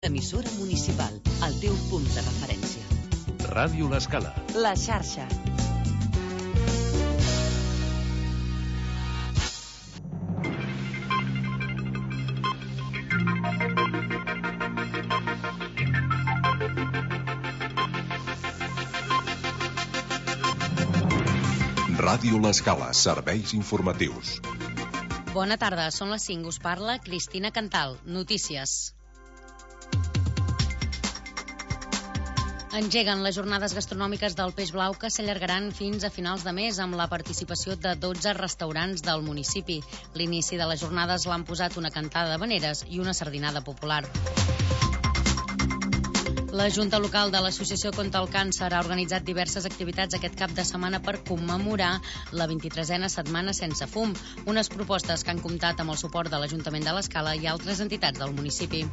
Emissora municipal, el teu punt de referència. Ràdio L'Escala. La xarxa. Ràdio L'Escala, serveis informatius. Bona tarda, són les 5, us parla Cristina Cantal. Notícies. Engeguen les jornades gastronòmiques del Peix Blau que s'allargaran fins a finals de mes amb la participació de 12 restaurants del municipi. L'inici de les jornades l'han posat una cantada d'havaneres i una sardinada popular. La Junta Local de l'Associació contra el Càncer ha organitzat diverses activitats aquest cap de setmana per commemorar la 23a Setmana Sense Fum, unes propostes que han comptat amb el suport de l'Ajuntament de l'Escala i altres entitats del municipi.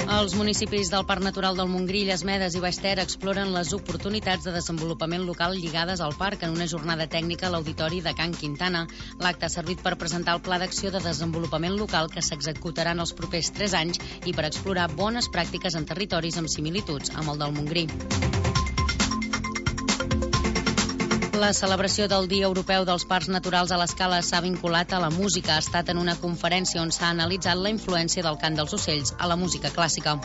Els municipis del Parc Natural del Montgrí, Medes i Baix Ter exploren les oportunitats de desenvolupament local lligades al parc en una jornada tècnica a l'Auditori de Can Quintana. L'acte ha servit per presentar el Pla d'Acció de Desenvolupament Local que s'executarà en els propers 3 anys i per explorar bones pràctiques en territoris amb similituds amb el del Montgrí. La celebració del Dia Europeu dels Parcs Naturals a l'Escala s'ha vinculat a la música. Ha estat en una conferència on s'ha analitzat la influència del cant dels ocells a la música clàssica.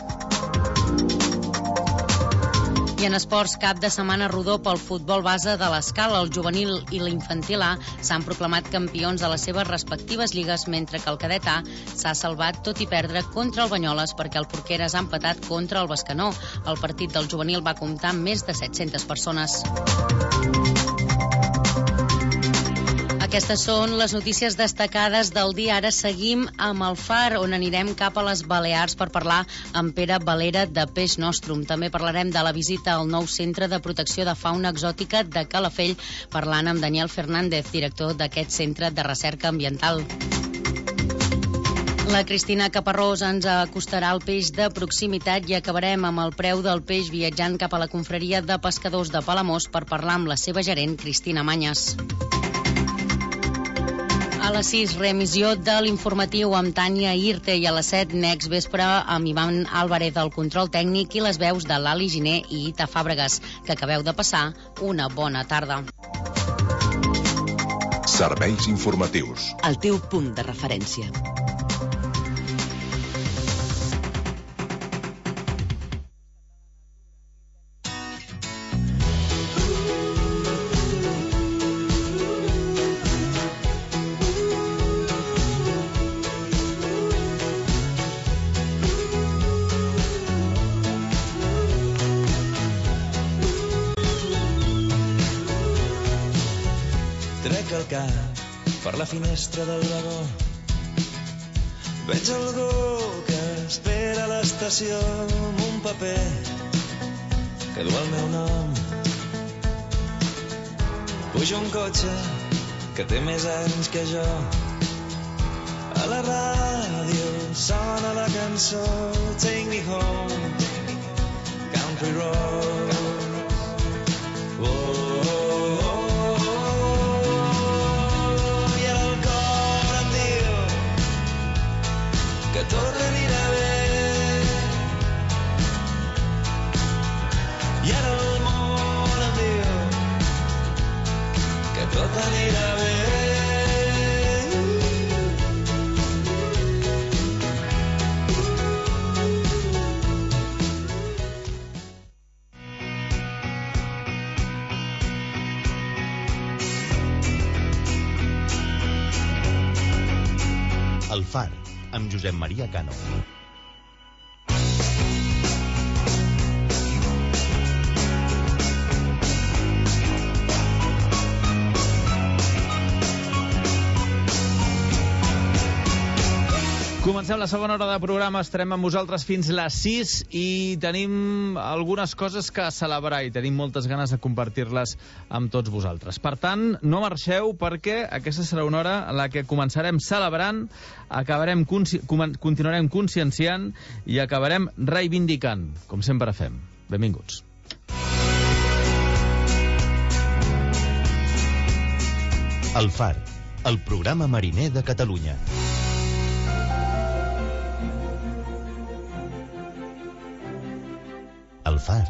I en esports, cap de setmana rodó pel futbol base de l'Escala. El juvenil i l'infantil A s'han proclamat campions de les seves respectives lligues, mentre que el cadet A s'ha salvat tot i perdre contra el Banyoles perquè el Porqueres ha empatat contra el Bescanó. El partit del juvenil va comptar amb més de 700 persones. Aquestes són les notícies destacades del dia. Ara seguim amb el Far, on anirem cap a les Balears per parlar amb Pere Valera de Peix Nostrum. També parlarem de la visita al nou Centre de Protecció de Fauna Exòtica de Calafell, parlant amb Daniel Fernández, director d'aquest centre de recerca ambiental. La Cristina Caparrós ens acostarà al peix de proximitat i acabarem amb el preu del peix viatjant cap a la confraria de pescadors de Palamós per parlar amb la seva gerent, Cristina Manyes. A les 6, reemissió de l'informatiu amb Tània Irte, i a les 7, Next Vespre amb Ivan Álvarez al control tècnic i les veus de l'Ali Giner i Ita Fàbregas. Que acabeu de passar una bona tarda. Serveis informatius. El teu punt de referència. Per la finestra del vagó veig algú que espera a l'estació amb un paper que du el meu nom. Puja un cotxe que té més anys que jo. A la ràdio sona la cançó Take Me Home, Country Road. Tot anirà bé i ara el món em diu que tot anirà bé. El Far, amb Josep Maria Cano. Comencem la segona hora de programa, estarem amb vosaltres fins les 6 i tenim algunes coses que celebrar i tenim moltes ganes de compartir-les amb tots vosaltres. Per tant, no marxeu perquè aquesta serà una hora en la que començarem celebrant, continuarem conscienciant i acabarem reivindicant, com sempre fem. Benvinguts. El Far, el programa mariner de Catalunya. al Far.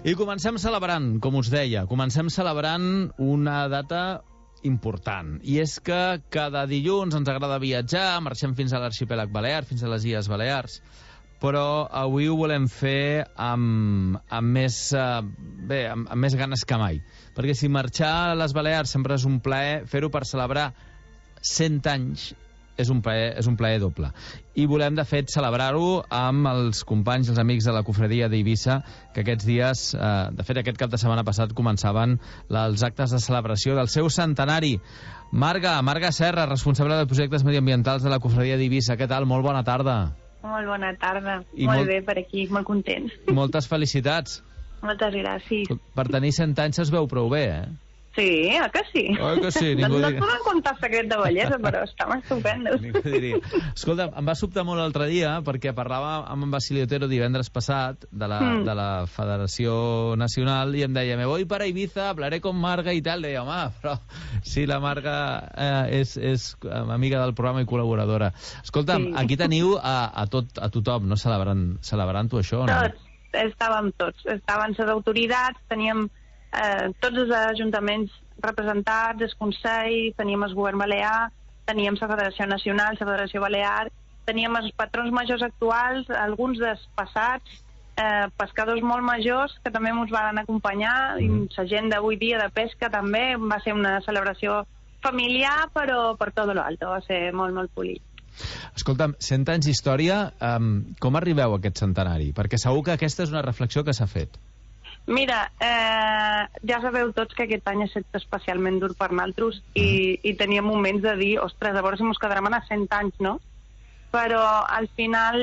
I comencem celebrant, com us deia, una data important. I és que cada dilluns ens agrada viatjar, marxem fins a l'arxipèlag Balear, fins a les Illes Balears, però avui ho volem fer amb més ganes que mai. Perquè si marxar a les Balears sempre és un plaer, fer-ho per celebrar 100 anys és un plaer doble. I volem, de fet, celebrar-ho amb els companys, els amics de la Cofradia d'Eivissa, que aquests dies, de fet, aquest cap de setmana passat, començaven els actes de celebració del seu centenari. Marga Serra, responsable de projectes mediambientals de la Cofradia d'Eivissa. Què tal? Molt bona tarda. Molt bona tarda. Molt bé per aquí, molt contents. Moltes felicitats. Moltes gràcies. Per tenir 100 anys es veu prou bé, Sí, que sí? Oi que sí? No et podem contar secret de bellesa, però estem estupendos. Escolta, em va sobtar molt l'altre dia perquè parlava amb en Basilio Otero divendres passat de la Federació Nacional i em deia, me voy para Ibiza, hablaré con Marga i tal. Deia, home, però si la Marga és amiga del programa i col·laboradora. Escolta'm, aquí teniu a tothom, no? Celebrant-ho això, no? Estàvem tots. Estaven les autoritats, teníem tots els ajuntaments representats, el Consell, teníem el Govern Balear, teníem la Federació Nacional, la Federació Balear, teníem els patrons majors actuals, alguns dels passats, pescadors molt majors que també ens van acompanyar, i la gent d'avui dia de pesca també. Va ser una celebració familiar, però per tot l'alto, va ser molt, molt polit. Escolta'm, 100 anys d'història, com arribeu a aquest centenari? Perquè segur que aquesta és una reflexió que s'ha fet. Mira, ja sabeu tots que aquest any ha estat especialment dur per nosaltres i teníem moments de dir, ostres, a veure si ens quedarem a 100 anys, no? Però al final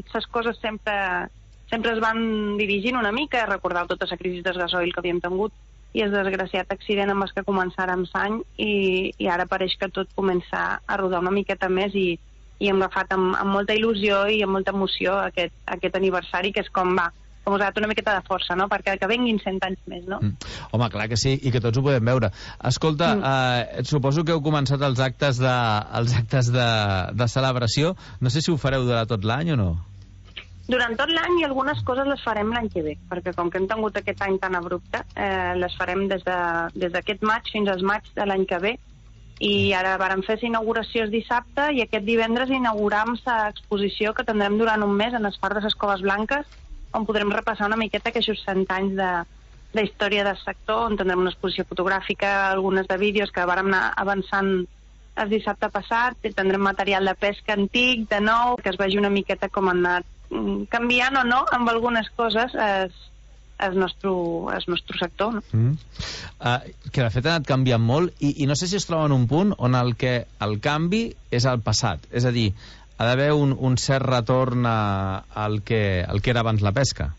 les coses sempre es van dirigint una mica. Recordeu tota la crisi del gasoil que havíem tingut i el desgraciat accident amb el que començàrem l'any i ara pareix que tot comença a rodar una miqueta més i hem agafat amb molta il·lusió i amb molta emoció aquest aniversari, que és com va. Com us ha donat una miqueta de força, no? Perquè que venguin 100 anys més, no? Home, clar que sí, i que tots ho podem veure. Escolta, suposo que heu començat els actes de celebració. No sé si ho fareu durant tot l'any o no? Durant tot l'any, i algunes coses les farem l'any que ve, perquè com que hem tingut aquest any tan abrupte, les farem des d'aquest maig fins al maig de l'any que ve, i ara vàrem fer l'inauguració el dissabte i aquest divendres inauguram l'exposició que tindrem durant un mes en el Far de les Coves Blanques, on podrem repassar una miqueta aquests 100 anys de història del sector, on tindrem una exposició fotogràfica, algunes de vídeos que vàrem anar avançant el dissabte passat, i tindrem material de pesca antic, de nou, que es vegi una miqueta com han anat canviant o no amb algunes coses el nostre sector, no? Que de fet ha anat canviant molt i no sé si es troba en un punt on el canvi és el passat, és a dir, ha d'haver un cert retorn al que era abans la pesca.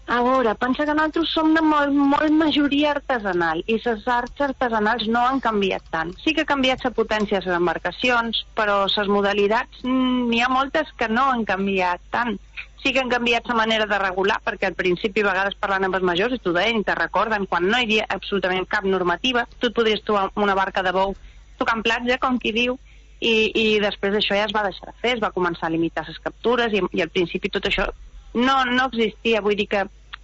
A veure, pensa que nosaltres som de molt majoria artesanal i les arts artesanals no han canviat tant. Sí que ha canviat la potència de les embarcacions, però les modalitats n'hi ha moltes que no han canviat tant. Sí que han canviat la manera de regular, perquè al principi a vegades parlant amb els majors i t'ho deien i te recorden, quan no hi havia absolutament cap normativa, tu et podries trobar una barca de bou tocant platja, com qui diu, i després d'això ja es va deixar de fer, es va començar a limitar les captures i al principi tot això no existia. Vull dir que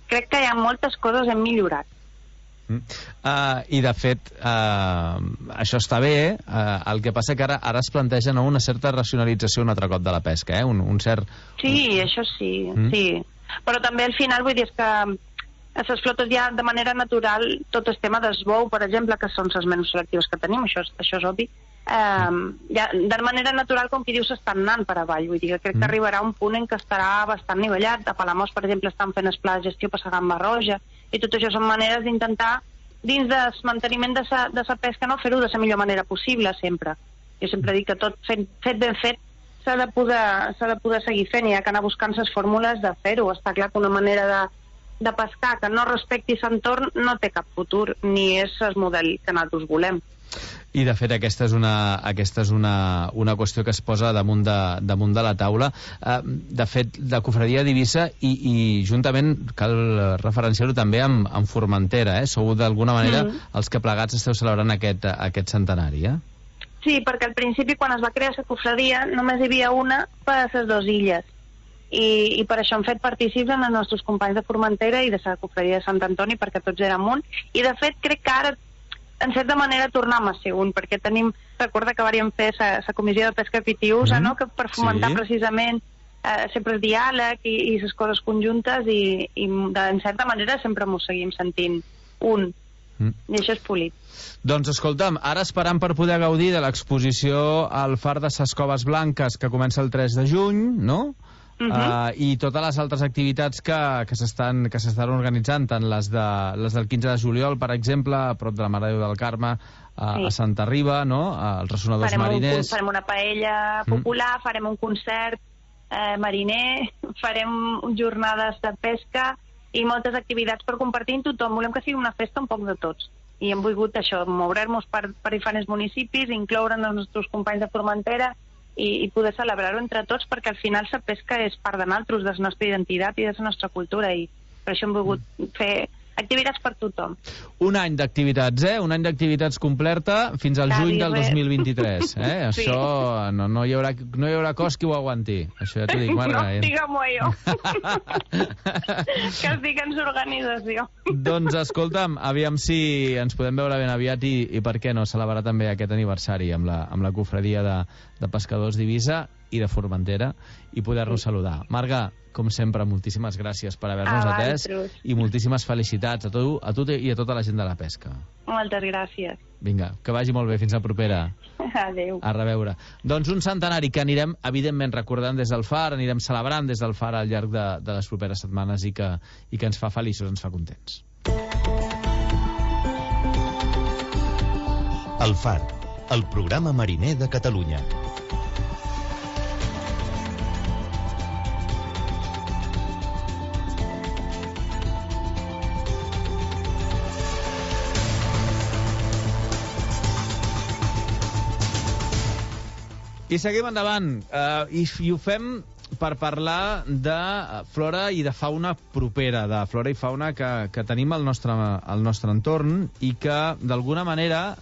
crec que hi ha moltes coses hem millorat. I de fet això està bé, el que passa que ara es planteja una certa racionalització un altre cop de la pesca, un cert... Sí, això sí, sí. Però també al final vull dir que a les flotes ja de manera natural tot el tema del bou, per exemple, que són les menys selectives que tenim, això és obvi, ja, de manera natural, com qui diu, s'estan anant per avall. Vull dir que crec que arribarà un punt en què estarà bastant nivellat. A Palamós, per exemple, estan fent el pla de gestió per la gamba roja, i tot això són maneres d'intentar, dins del manteniment de la pesca, no fer-ho de la millor manera possible, sempre. Jo sempre dic que tot fet ben fet s'ha de poder seguir fent, i hi ha que anar buscant les fórmules de fer-ho. Està clar que una manera de pescar que no respecti l'entorn no té cap futur, ni és el model que nosaltres volem. I de fet aquesta és una qüestió que es posa damunt de la taula. De fet, la Cofradia d'Eivissa i juntament cal referenciar-ho també amb Formentera, sou d'alguna manera els que plegats esteu celebrant aquest centenari, Sí, perquè al principi, quan es va crear la cofradia, només hi havia una per a les dues illes. I per això hem fet partícips en els nostres companys de Formentera i de la cofradia de Sant Antoni, perquè tots érem un. I, de fet, crec que ara, en certa manera, tornem a ser un, perquè recorda que vàrem fer la comissió de pesca pitiusa, no?, que per fomentar precisament sempre el diàleg i les coses conjuntes, i en certa manera sempre m'ho seguim sentint un. I això és polit. Doncs escolta'm, ara esperant per poder gaudir de l'exposició al Far de ses Coves Blanques, que comença el 3 de juny, no? I totes les altres activitats que s'estan organitzant, tant les del 15 de juliol, per exemple, a prop de la Mare de Déu del Carme, a Santa Riba, no?, als ressonadors mariners. Farem una paella popular, farem un concert mariner, farem jornades de pesca i moltes activitats per compartir amb tothom. Volem que sigui una festa un poc de tots. I hem volgut això, moure-nos per diferents municipis, incloure'n els nostres companys de Formentera i poder celebrar-ho entre tots, perquè al final la pesca és part de nosaltres, de la nostra identitat i de la nostra cultura, i per això hem volgut fer activitats per tothom. Un any d'activitats, Un any d'activitats completa fins al juny del 2023, Sí. Això no hi haurà cos que ho aguanti. Això ja t'ho dic, Marga. No, digue'm-ho jo. Que estic en l'organització. Doncs escolta'm, aviam si ens podem veure ben aviat i per què no celebrar també aquest aniversari amb la cofradia de pescadors d'Eivissa i de Formentera i poder-nos saludar. Marga, com sempre, moltíssimes gràcies per haver-nos atès i moltíssimes felicitats a tu i a tota la gent de la pesca. Moltes gràcies. Vinga, que vagi molt bé. Fins la propera. Adéu. A reveure. Doncs un centenari que anirem, evidentment, recordant des del Far, anirem celebrant des del Far al llarg de les properes setmanes i que ens fa feliços, ens fa contents. El Far, el programa mariner de Catalunya. I seguim endavant, i ho fem per parlar de flora i de fauna propera, de flora i fauna que tenim al nostre entorn i que, d'alguna manera,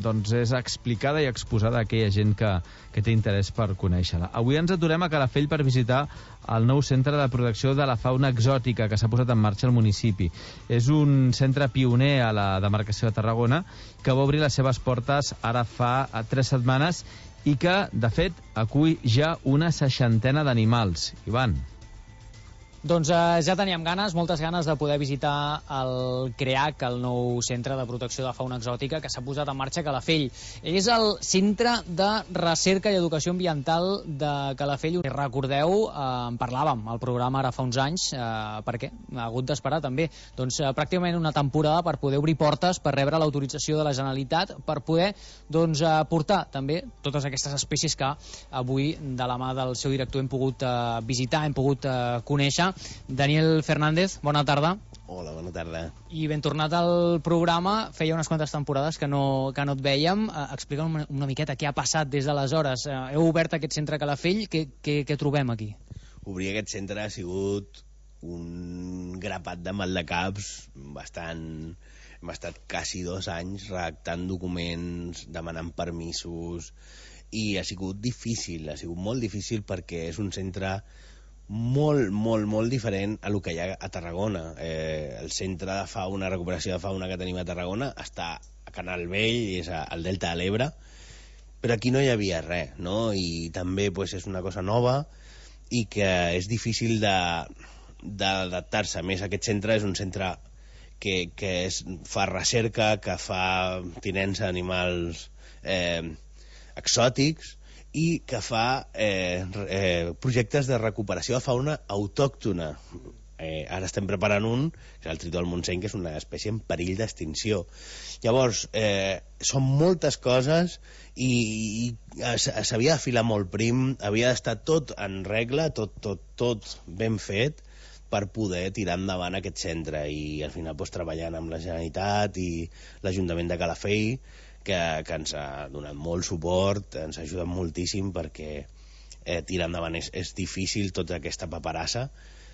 doncs és explicada i exposada a aquella gent que té interès per conèixer-la. Avui ens aturem a Calafell per visitar el nou centre de protecció de la fauna exòtica que s'ha posat en marxa al municipi. És un centre pioner a la demarcació de Tarragona que va obrir les seves portes ara fa 3 setmanes i que, de fet, acull ja una 60ena d'animals. Ivan. Doncs ja teníem ganes, moltes ganes de poder visitar el CREAC, el nou centre de protecció de fauna exòtica que s'ha posat en marxa a Calafell. És el Centre de Recerca i Educació Ambiental de Calafell. Recordeu, en parlàvem al programa ara fa uns anys, per què? Ha hagut d'esperar també. Doncs pràcticament una temporada per poder obrir portes, per rebre l'autorització de la Generalitat, per poder portar també totes aquestes espècies que avui, de la mà del seu director, hem pogut visitar, hem pogut conèixer. Daniel Fernández, bona tarda. Hola, bona tarda. I ben tornat al programa, feia unes quantes temporades que no et vèiem. Explica'm una miqueta què ha passat des d'aleshores. Heu obert aquest centre a Calafell, què trobem aquí? Obrir aquest centre ha sigut un grapat de maldecaps bastant... Hem estat quasi 2 anys redactant documents, demanant permisos, i ha sigut difícil, ha sigut molt difícil perquè és un centre molt diferent a lo que hi ha a Tarragona. El centre de fauna, recuperació de fauna que tenim a Tarragona està a Canal Vell, és al Delta de l'Ebre, però aquí no hi havia res, no? I també és una cosa nova i que és difícil d'adaptar-se. A més, aquest centre és un centre que fa recerca, que fa tinença d'animals exòtics i que fa projectes de recuperació de fauna autòctona. Ara estem preparant un, que és el tritó del Montseny, que és una espècie en perill d'extinció. Llavors, són moltes coses i s'havia de filar molt prim, havia d'estar tot en regla, tot ben fet, per poder tirar endavant aquest centre, i al final treballant amb la Generalitat i l'Ajuntament de Calafell, que ens ha donat molt suport, ens ha ajudat moltíssim, perquè tirar endavant és difícil, tota aquesta paperassa,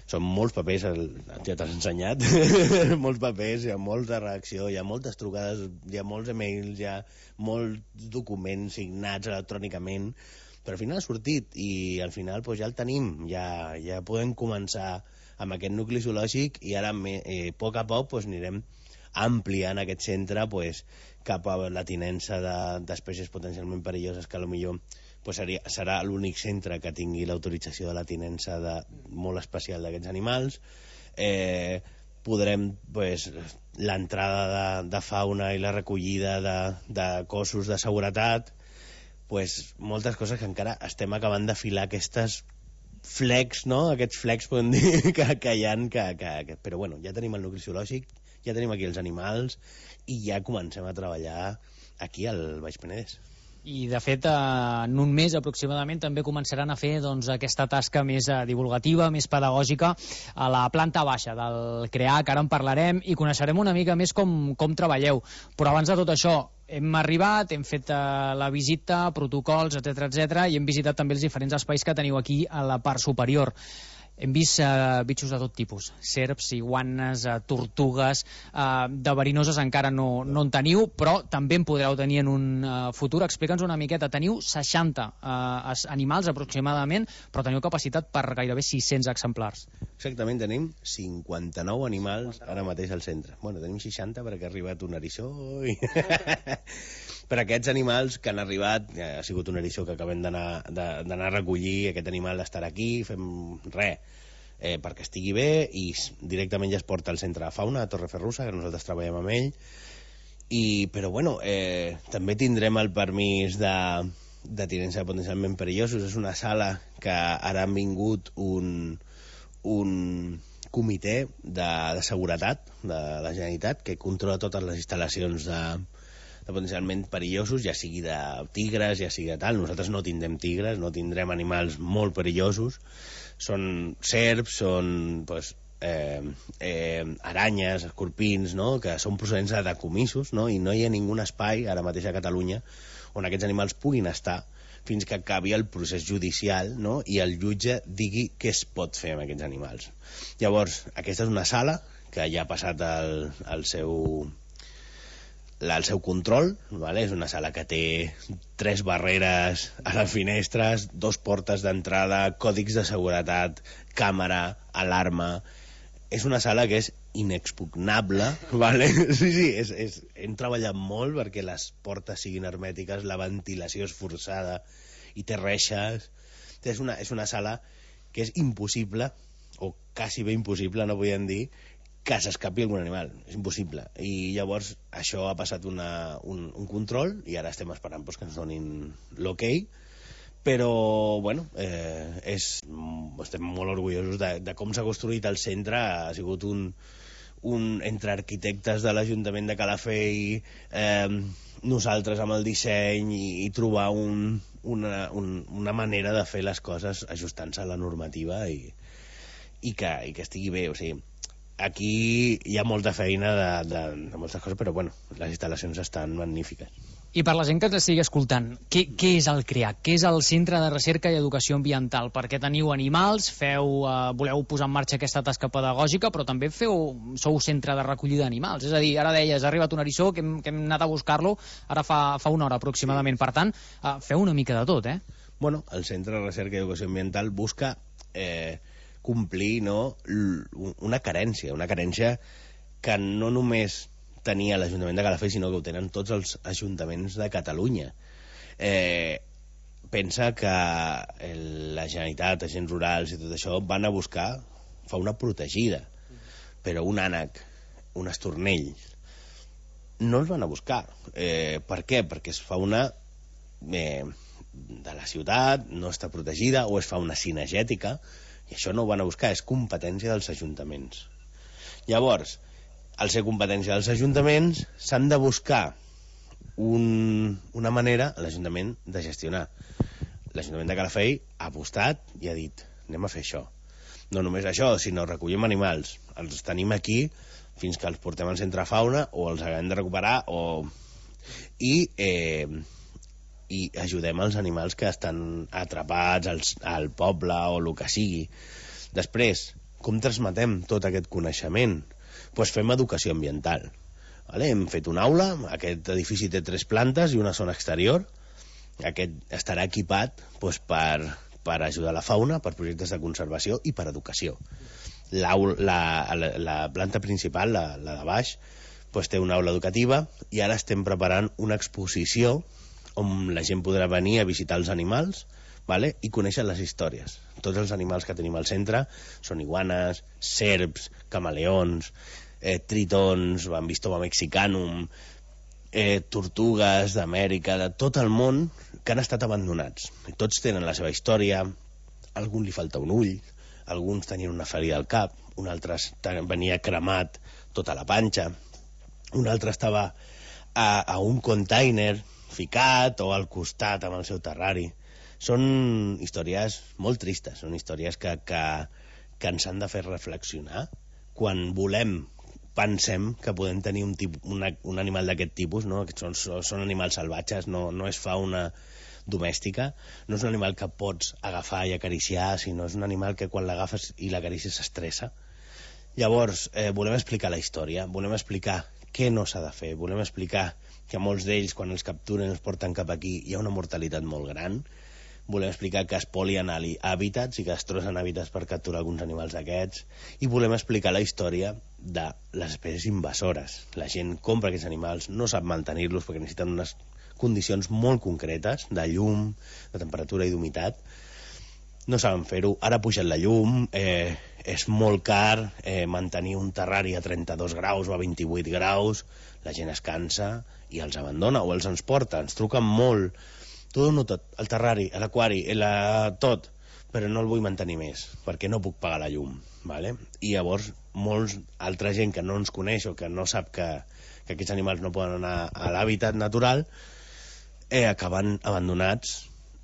Són molts papers, ja t'has ensenyat, molts papers, hi ha molta reacció, hi ha moltes trucades, hi ha molts emails, hi ha molts documents signats electrònicament, però al final ha sortit i al final ja el tenim, ja podem començar amb aquest nucli zoològic i ara a poc a poc anirem ampliant aquest centre cap a la tinença d'espècies potencialment perilloses que potser serà l'únic centre que tingui l'autorització de la tinença molt especial d'aquests animals. Podrem l'entrada de fauna i la recollida de cossos de seguretat, moltes coses que encara estem acabant d'afilar aquestes flecs, no? Aquests flecs podem dir que hi ha, però bueno, ja tenim el nucli zoològic, ja tenim aquí els animals i ja comencem a treballar aquí al Baix Penedès. I, de fet, en un mes aproximadament també començaran a fer aquesta tasca més divulgativa, més pedagògica a la planta baixa del CREAC. Ara en parlarem i coneixerem una mica més com treballeu. Però abans de tot això, hem arribat, hem fet la visita, protocols, etc i hem visitat també els diferents espais que teniu aquí a la part superior. Hem vist bitxos de tot tipus, serps, iguanes, tortugues, de verinoses encara no en teniu, però també en podreu tenir en un futur. Explica'ns una miqueta, teniu 60 animals aproximadament, però teniu capacitat per gairebé 600 exemplars. Exactament, tenim 59 animals ara mateix al centre. Bueno, tenim 60 perquè ha arribat un eriçó i... Per aquests animals que han arribat, ha sigut un eriçó que acabem d'anar a recollir, aquest animal d'estar aquí, fem res perquè estigui bé i directament ja es porta al centre de fauna a Torreferrusa, que nosaltres treballem amb ell, però bueno, també tindrem el permís de tinença potencialment perillosos. És una sala que ara han vingut un comitè de seguretat de la Generalitat que controla totes les instal·lacions de potencialment perillosos, ja sigui de tigres, ja sigui de tal. Nosaltres no tindrem tigres, no tindrem animals molt perillosos. Són serps, són aranyes, escorpins, no? Que són procedents de decomisos, no? I no hi ha ningú espai ara mateix a Catalunya on aquests animals puguin estar fins que acabi el procés judicial, no? I el jutge digui què es pot fer amb aquests animals. Llavors, aquesta és una sala que ja ha passat el seu control, ¿vale? És una sala que té 3 barreres a les finestres, 2 portes d'entrada, còdics de seguretat, càmera, alarma. És una sala que és inexpugnable, ¿vale? Sí, hem treballat molt perquè les portes siguin hermètiques, la ventilació és forçada i té reixes. És una sala que és impossible, o quasi bé impossible, no podem dir, que s'escapi algun animal, és impossible. I llavors això ha passat un control i ara estem esperant que ens donin l'ok, però bueno, estem molt orgullosos de com s'ha construït el centre. Ha sigut entre arquitectes de l'Ajuntament de Calafell, nosaltres amb el disseny i trobar una manera de fer les coses ajustant-se a la normativa i que estigui bé. O sigui, aquí hi ha molta feina de moltes coses, però bueno, les instal·lacions estan magnífiques. I per la gent que ens estigui escoltant, què és el CREAC? Què és el Centre de Recerca i Educació Ambiental? Perquè teniu animals, voleu posar en marxa aquesta tasca pedagògica, però també sou centre de recollida d'animals. És a dir, ara deies, ha arribat un eriçó, que hem anat a buscar-lo, ara fa una hora aproximadament. Per tant, feu una mica de tot, eh? Bueno, el Centre de Recerca i Educació Ambiental busca complir, no, una carència que no només tenia l'Ajuntament de Calafell, sinó que ho tenen tots els ajuntaments de Catalunya. Pensa que la Generalitat, agents rurals i tot això van a buscar fauna protegida, però un ànec, un estornell, no els van a buscar. Per què? Perquè és fauna de la ciutat, no està protegida, o és fauna cinegètica, i això no ho van a buscar, és competència dels ajuntaments. Llavors, al ser competència dels ajuntaments, s'han de buscar una manera a l'Ajuntament de gestionar. L'Ajuntament de Calafell ha apostat i ha dit, anem a fer això. No només això, sinó recollim animals, els tenim aquí fins que els portem al centre fauna o els haguem de recuperar i ajudem els animals que estan atrapats al poble o el que sigui. Després, Com transmetem tot aquest coneixement? Doncs fem educació ambiental. Vale? Hem fet una aula, aquest edifici té 3 plantes i una zona exterior. Aquest estarà equipat doncs, per ajudar la fauna, per projectes de conservació i per educació. La planta principal, la de baix, doncs, té una aula educativa i ara estem preparant una exposició on la gent podrà venir a visitar els animals, vale? I conèixer les històries. Tots els animals que tenim al centre són iguanes, serps, camaleons, tritons, bambistoma mexicanum, tortugues d'Amèrica, de tot el món, que han estat abandonats. Tots tenen la seva història, a algun li falta un ull, alguns tenien una ferida al cap, un altre venia cremat tota la panxa, un altre estava a un container ficat o al costat amb el seu terrari. Són històries molt tristes, són històries que ens han de fer reflexionar quan pensem que podem tenir un animal d'aquest tipus, no? Són animals salvatges, no és fauna domèstica, no és un animal que pots agafar i acariciar, sinó és un animal que quan l'agafes i l'acaricies s'estressa. Llavors, volem explicar la història, volem explicar què no s'ha de fer, volem explicar que molts d'ells, quan els capturen i els porten cap aquí, hi ha una mortalitat molt gran. Volem explicar que es polien hàbitats i que es trossen hàbitats per capturar alguns animals d'aquests, i volem explicar la història de les espècies invasores. La gent compra aquests animals, no sap mantenir-los perquè necessiten unes condicions molt concretes de llum, de temperatura i d'humitat. No saben fer-ho. Ara ha pujat la llum, és molt car mantenir un terrari a 32 graus o a 28 graus, la gent es cansa i els abandona o els ens porta, ens truquen molt. Tot o no tot, el terrari, l'aquari, tot, però no el vull mantenir més, perquè no puc pagar la llum. Vale? I llavors, altra gent que no ens coneix o que no sap que aquests animals no poden anar a l'hàbitat natural, acaben abandonats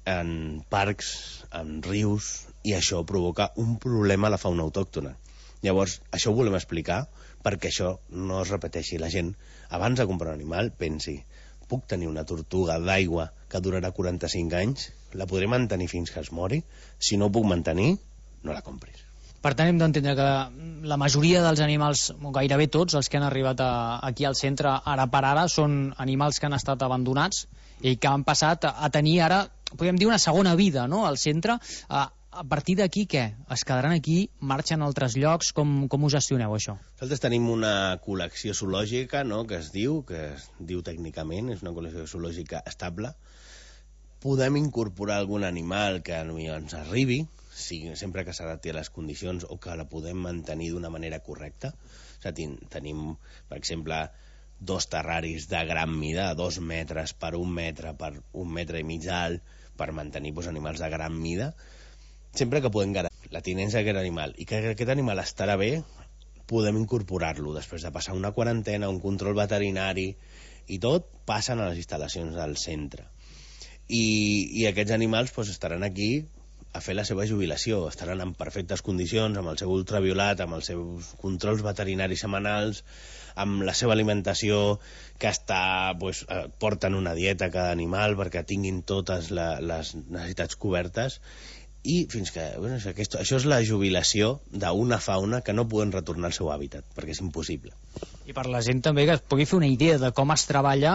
en parcs, en rius, i això provoca un problema a la fauna autòctona. Llavors, això ho volem explicar perquè això no es repeteixi. La gent, abans de comprar un animal, pensi: puc tenir una tortuga d'aigua que durarà 45 anys, la podré mantenir fins que es mori? Si no ho puc mantenir, no la compris. Per tant, hem d'entendre que la majoria dels animals, gairebé tots els que han arribat aquí al centre ara per ara, són animals que han estat abandonats i que han passat a tenir ara, podríem dir, una segona vida, no?, al centre. A partir d'aquí, què? Es quedaran aquí? Marxen a altres llocs? Com ho gestioneu, això? Nosaltres tenim una col·lecció zoològica, no?, que es diu tècnicament, és una col·lecció zoològica estable. Podem incorporar algun animal que ens arribi, sempre que s'adapti a les condicions o que la podem mantenir d'una manera correcta. O sigui, tenim, per exemple, 2 terraris de gran mida, 2 metres per 1 metre per 1 metre i mig d'alt, per mantenir animals de gran mida. Sempre que podem garantir la tinença d'aquest animal i que aquest animal estarà bé, podem incorporar-lo. Després de passar una quarantena, un control veterinari i tot, passen a les instal·lacions del centre. I aquests animals estaran aquí a fer la seva jubilació, estaran en perfectes condicions, amb el seu ultraviolat, amb els seus controls veterinaris setmanals, amb la seva alimentació, que porten una dieta a cada animal perquè tinguin totes les necessitats cobertes. I fins que... això és la jubilació d'una fauna que no poden retornar al seu hàbitat, perquè és impossible. I per la gent també que es pugui fer una idea de com es treballa,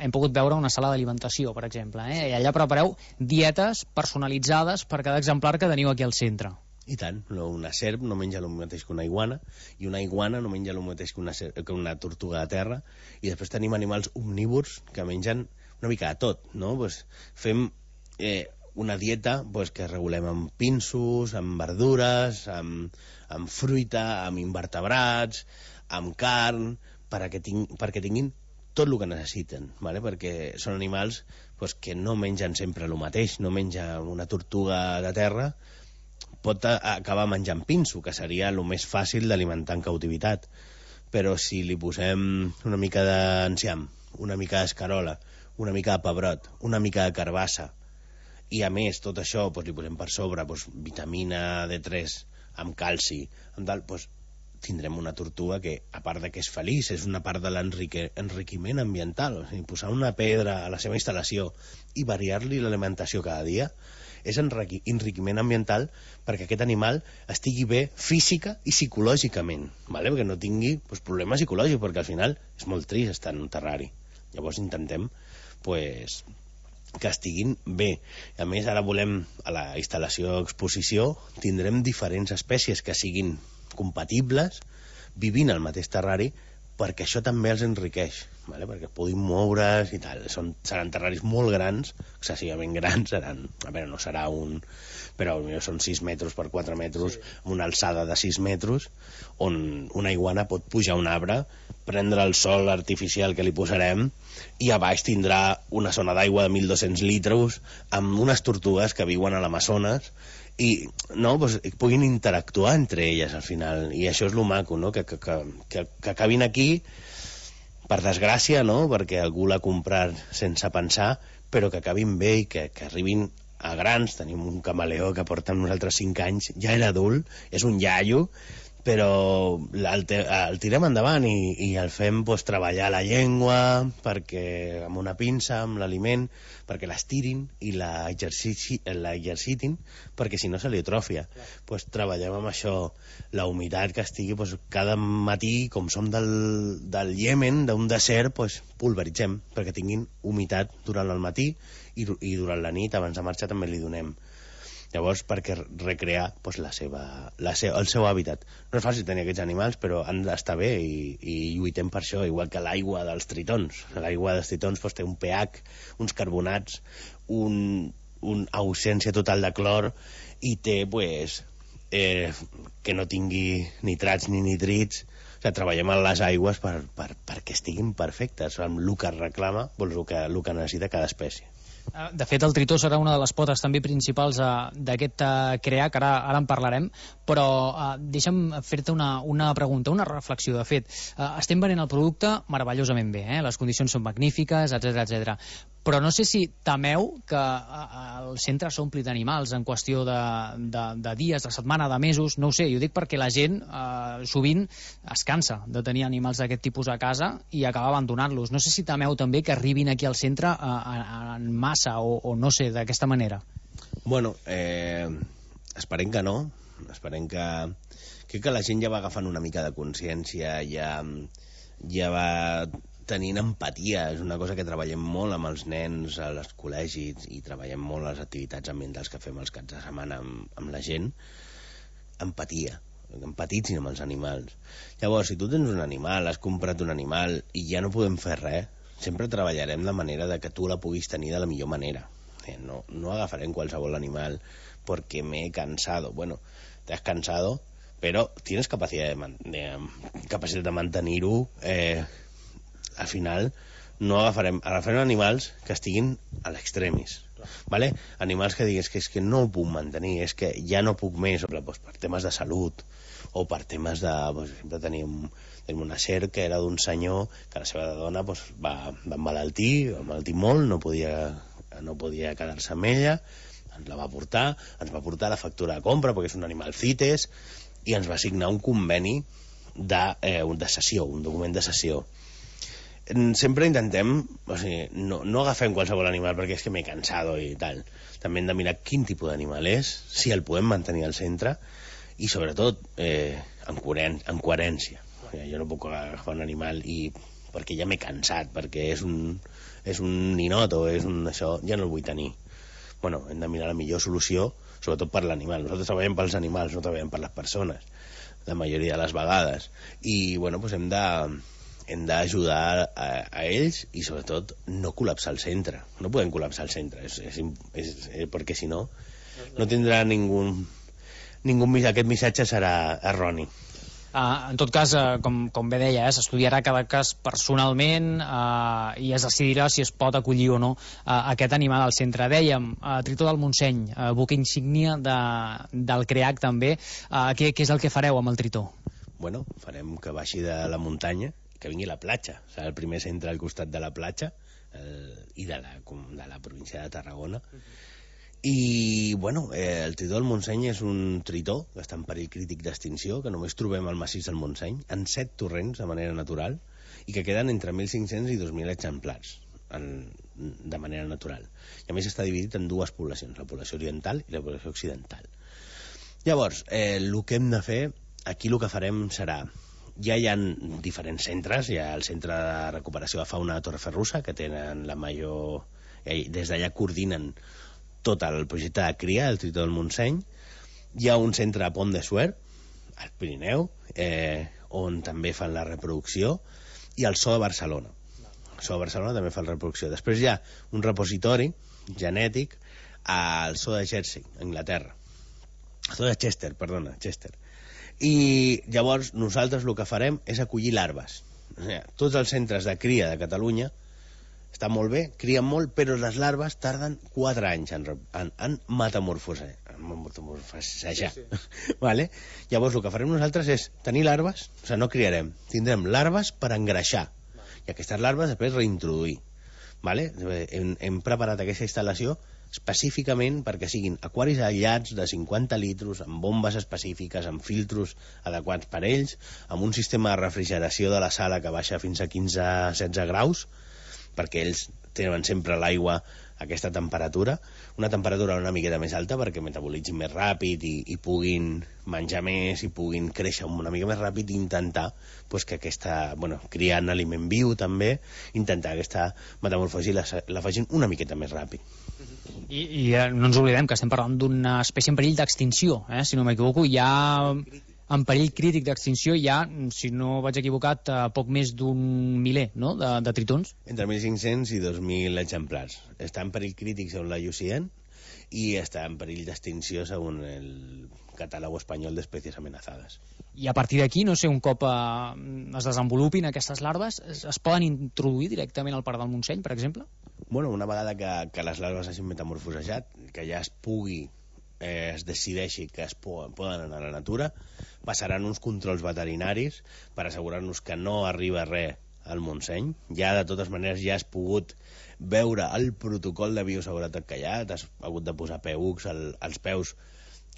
hem pogut veure una sala d'alimentació, per exemple, i allà prepareu dietes personalitzades per cada exemplar que teniu aquí al centre. I tant, una serp no menja el mateix que una iguana, i una iguana no menja el mateix que una tortuga de terra, i després tenim animals omnívors que mengen una mica de tot, no? Fem una dieta que regulem amb pinsos, amb verdures, amb fruita, amb invertebrats, amb carn, perquè tinguin tot el que necessiten, ¿vale? Perquè són animals que no mengen sempre el mateix. No menja una tortuga de terra, pot acabar menjant pinso, que seria el més fàcil d'alimentar en cautivitat. Però si li posem una mica d'enciam, una mica d'escarola, una mica de pebrot, una mica de carbassa, i a més tot això li posem per sobre vitamina D3 amb calci, tindrem una tortuga que, a part de que és feliç, és una part de l'enriquiment ambiental. O sigui, posar una pedra a la seva instal·lació i variar-li l'alimentació cada dia és enriquiment ambiental perquè aquest animal estigui bé física i psicològicament, vale? Perquè no tingui problemes psicològics, perquè al final és molt trist estar en un terrari. Llavors intentem que estiguin bé. A més, ara volem, a la instal·lació exposició, tindrem diferents espècies que siguin compatibles, vivint al mateix terrari, perquè això també els enriqueix, vale? Perquè puguin moure's i tal. Seran terraris molt grans, excessivament grans, no serà un... però potser són 6 metres per 4 metres, amb una alçada de 6 metres, on una iguana pot pujar un arbre, prendre el sol artificial que li posarem, i a baix tindrà una zona d'aigua de 1.200 litres, amb unes tortugues que viuen a l'Amazones, i puguin interactuar entre elles al final, i això és lo maco, no? Que acabin aquí per desgràcia, no? Perquè algú l'ha comprat sense pensar, però que acabin bé i que arribin a grans. Tenim un camaleó que porta amb nosaltres 5 anys, ja era adult, és un iaio, però el tirem endavant i el fem treballar la llengua, perquè amb una pinça, amb l'aliment, perquè l'estirin i l'exercitin, perquè si no se li atrofia. Treballem amb això, la humitat que estigui cada matí, com som del Iemen, d'un desert, pulveritzem, perquè tinguin humitat durant el matí i durant la nit, abans de marxar, també li donem. Llavors, perquè recrear el seu hàbitat. No és fàcil tenir aquests animals, però han d'estar bé i lluitem per això, igual que l'aigua dels tritons. L'aigua dels tritons té un pH, uns carbonats, una ausència total de clor, i té que no tingui nitrats ni nitrits. Treballem en les aigües perquè estiguin perfectes, amb el que reclama, el que necessita cada espècie. De fet, el tritó serà una de les potes també principals d'aquest CREA, que ara en parlarem, però deixa'm fer-te una pregunta, una reflexió. De fet, estem venent el producte meravellosament bé, les condicions són magnífiques, etc. Però no sé si temeu que el centre s'ompli d'animals en qüestió de dies, de setmana, de mesos, no ho sé, jo dic perquè la gent sovint es cansa de tenir animals d'aquest tipus a casa i acaba abandonant-los. No sé si temeu també que arribin aquí al centre en massa o no sé, d'aquesta manera. Bueno, esperem que no. Esperem que... Crec que la gent ja va agafant una mica de consciència, ja va tenint empatia. És una cosa que treballem molt amb els nens als col·legis i treballem molt les activitats ambientals que fem els caps de setmana amb la gent. Empatia. Empatitzin amb els animals. Llavors, si tu tens un animal, has comprat un animal i ja no podem fer res, sempre treballarem de manera de que tu la puguis tenir de la millor manera. No agafarem qualsevol animal porque me he cansado. Bueno, te has cansado, pero tienes capacidad de mantenir-ho. Al final no agafarem animals que estiguin a l'extremis, ¿vale? Animals que digues que és que no ho puc mantenir, és que ja no puc més, per temes de salut o per temes de... sempre tenim una serp que era d'un senyor que la seva dona va emmalaltir molt, no podia quedar-se amb ella, ens va portar la factura de compra perquè és un animal CITES i ens va signar un conveni de cessió, un document de cessió. Sempre intentem, no agafem qualsevol animal perquè és que m'he cansado i tal. També hem de mirar quin tipus d'animal és, si el podem mantenir al centre i sobretot en coherència. Jo no puc agafar un animal perquè ja m'he cansat, perquè és un ninot o és un això, ja no el vull tenir. Bueno, hem de mirar la millor solució, sobretot per l'animal. Nosaltres treballem pels animals, no treballem per les persones, la majoria de les vegades. I bueno, hem d'ajudar a ells i sobretot no col·lapsar el centre. No podem col·lapsar el centre, perquè si no tindrà ningú. Aquest missatge serà erroni. En tot cas, com bé deia, s'estudiarà cada cas personalment i es decidirà si es pot acollir o no aquest animal al centre. Dèiem, Tritó del Montseny, buque insígnia del CREAC també. Què és el que fareu amb el Tritó? Bueno, farem que baixi de la muntanya, que vingui a la platja. Serà el primer centre al costat de la platja i de la província de Tarragona. I, bueno, el tritó del Montseny és un tritó que està en perill crític d'extinció, que només trobem al massís del Montseny, en 7 torrents de manera natural, i que queden entre 1.500 i 2.000 exemplars. de manera natural. I a més està dividit en dues poblacions, la població oriental i la població occidental. Llavors, el que hem de fer, aquí el que farem serà, ja hi ha diferents centres, hi ha el Centre de Recuperació de Fauna de Torreferrusa, que tenen la major... Des d'allà coordinen tot el projecte de cria del Tritó del Montseny. Hi ha un centre a Pont de Suert, al Pirineu, on també fan la reproducció, i el Zoo de Barcelona. El Zoo de Barcelona també fa la reproducció. Després hi ha un repositori genètic al Zoo de Jersey, a Anglaterra. El Zoo de Chester, perdona, Chester. I llavors nosaltres el que farem és acollir larves. O sigui, tots els centres de cria de Catalunya està molt bé, crien molt, però les larves tarden 4 anys en metamorfosejar. Sí. Vale? Llavors, el que farem nosaltres és tenir larves, o sigui, no criarem, tindrem larves per engreixar, i aquestes larves després reintroduir. Vale? Hem preparat aquesta instal·lació específicament perquè siguin aquaris aïllats de 50 litros, amb bombes específiques, amb filtros adequats per ells, amb un sistema de refrigeració de la sala que baixa fins a 15-16 graus, perquè ells tenen sempre l'aigua a aquesta temperatura, una temperatura una miqueta més alta perquè metabolitzin més ràpid i puguin menjar més i puguin créixer una mica més ràpid i intentar pues, que aquesta, criant aliment viu també, intentar aquesta metamorfosi la facin una miqueta més ràpid. I no ens oblidem que estem parlant d'una espècie en perill d'extinció, si no m'equivoco, hi ha... En perill crític d'extinció hi ha, si no vaig equivocat, poc més d'un miler, no?, de tritons. Entre 1.500 i 2.000 exemplars. Està en perill crític segons la IUCN i està en perill d'extinció segons el catàleg espanyol d'espècies amenaçades. I a partir d'aquí, no sé, un cop es desenvolupin aquestes larves, es poden introduir directament al Parc del Montseny, per exemple? Una vegada que les larves hagin metamorfosejat, que ja es decideixi que es poden anar a la natura, passaran uns controls veterinaris per assegurar-nos que no arriba res al Montseny. Ja, de totes maneres, ja has pogut veure el protocol de bioseguretat que hi ha, t'has hagut de posar PUCs als peus,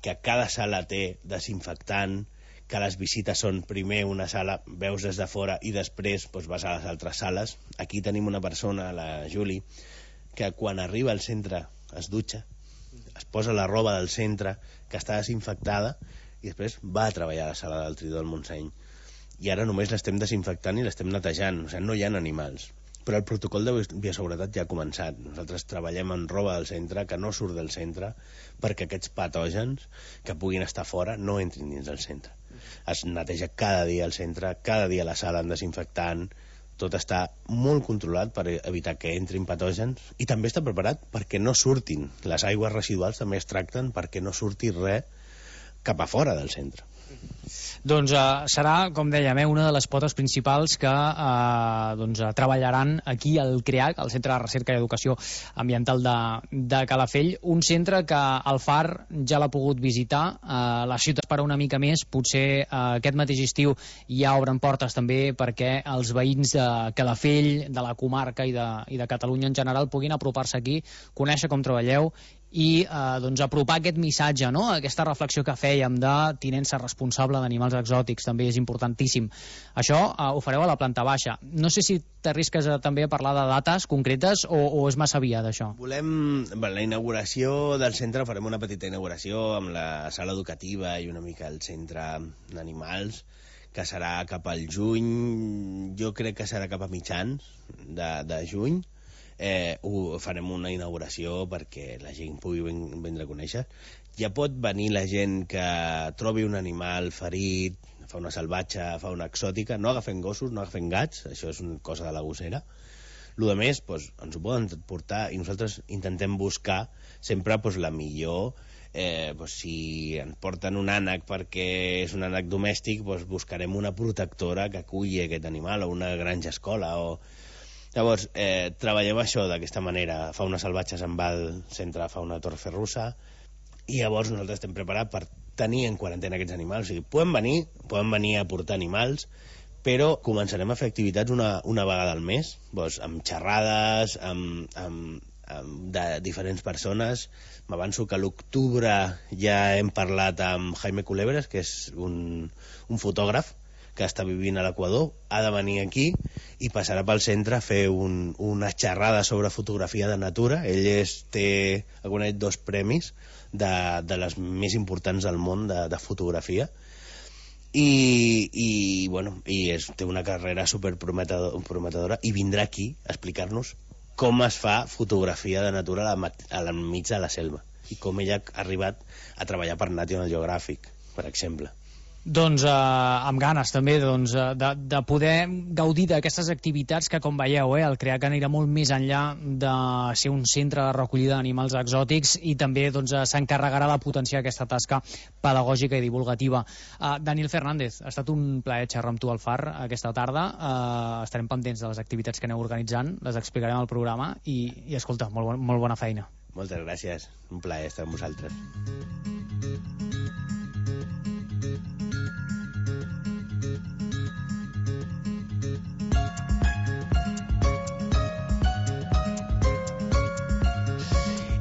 que cada sala té desinfectant, que les visites són primer una sala, veus des de fora i després vas a les altres sales. Aquí tenim una persona, la Juli, que quan arriba al centre es dutxa, es posa la roba del centre que està desinfectada i després va a treballar a la sala del Tritó del Montseny. I ara només l'estem desinfectant i l'estem netejant, o sigui, no hi ha animals. Però el protocol de bioseguretat ja ha començat. Nosaltres treballem amb roba del centre que no surt del centre perquè aquests patògens que puguin estar fora no entrin dins del centre. Es neteja cada dia el centre, cada dia la sala en desinfectant, tot està molt controlat per evitar que entrin patògens i també està preparat perquè no surtin. Les aigües residuals també es tracten perquè no surti res cap a fora del centre. Doncs serà, com dèiem, una de les potes principals que treballaran aquí al CREAC, el Centre de Recerca i Educació Ambiental de Calafell, un centre que el FAR ja l'ha pogut visitar, la ciutat per una mica més, potser aquest mateix estiu ja obren portes també perquè els veïns de Calafell, de la comarca i de Catalunya en general puguin apropar-se aquí, conèixer com treballeu i apropar aquest missatge, no? Aquesta reflexió que fèiem de tinença responsable d'animals exòtics també és importantíssim. Això ho fareu a la planta baixa. No sé si t'arrisques també a parlar de dates concretes o és massa aviat, això? Volem la inauguració del centre, farem una petita inauguració amb la sala educativa i una mica el centre d'animals, que serà cap al juny, jo crec que serà cap a mitjans de juny. Farem una inauguració perquè la gent pugui vindre a conèixer. Ja pot venir la gent que trobi un animal ferit, fauna salvatge, fauna exòtica, no agafen gossos, no agafen gats, això és una cosa de la gossera. El que més, ens ho poden portar i nosaltres intentem buscar sempre la millor. Si ens porten un ànec perquè és un ànec domèstic, buscarem una protectora que aculli aquest animal o una granja escola o... Llavors, treballem això d'aquesta manera. Fauna salvatge se'n va al centre de fauna de Torreferrusa i llavors nosaltres estem preparats per tenir en quarantena aquests animals. O sigui, poden venir a portar animals, però començarem a fer activitats una vegada al mes, amb xerrades, de diferents persones. M'avanço que a l'octubre ja hem parlat amb Jaime Culebres, que és un fotògraf, que està vivint a l'Equador, ha de venir aquí i passarà pel centre a fer una xerrada sobre fotografia de natura. Ell ha guanyat 2 premis de les més importants del món de fotografia i té una carrera superprometedora i vindrà aquí a explicar-nos com es fa fotografia de natura al mig de la selva i com ella ha arribat a treballar per National Geographic, per exemple. Doncs amb ganes també de poder gaudir d'aquestes activitats que, com veieu, el CREAC anirà molt més enllà de ser un centre de recollida d'animals exòtics i també s'encarregarà de potenciar aquesta tasca pedagògica i divulgativa. Daniel Fernández, ha estat un plaer xerrar amb tu al Far aquesta tarda. Estarem pendents de les activitats que aneu organitzant, les explicarem al programa i escolta, molt bona feina. Moltes gràcies, un plaer estar amb vosaltres.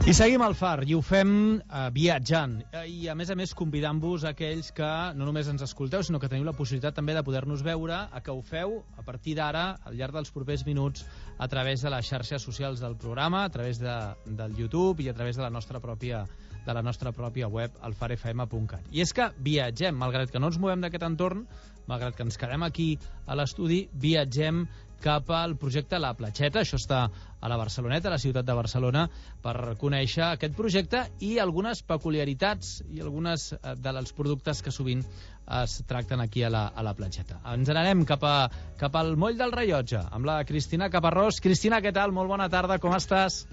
I seguim al Far, i ho fem viatjant, i a més convidant-vos a aquells que no només ens escolteu, sinó que teniu la possibilitat també de poder-nos veure, a que ho feu a partir d'ara, al llarg dels propers minuts, a través de les xarxes socials del programa, a través del YouTube i a través de la nostra pròpia web, alfarfm.cat. I és que viatgem, malgrat que no ens movem d'aquest entorn, malgrat que ens quedem aquí a l'estudi, viatgem cap al projecte La Platxeta. Això està a la Barceloneta, a la ciutat de Barcelona, per conèixer aquest projecte i algunes peculiaritats i algunes dels productes que sovint es tracten aquí a la Platxeta. Ens n'anem cap al moll del Rellotge amb la Cristina Caparrós. Cristina, què tal? Molt bona tarda, com estàs?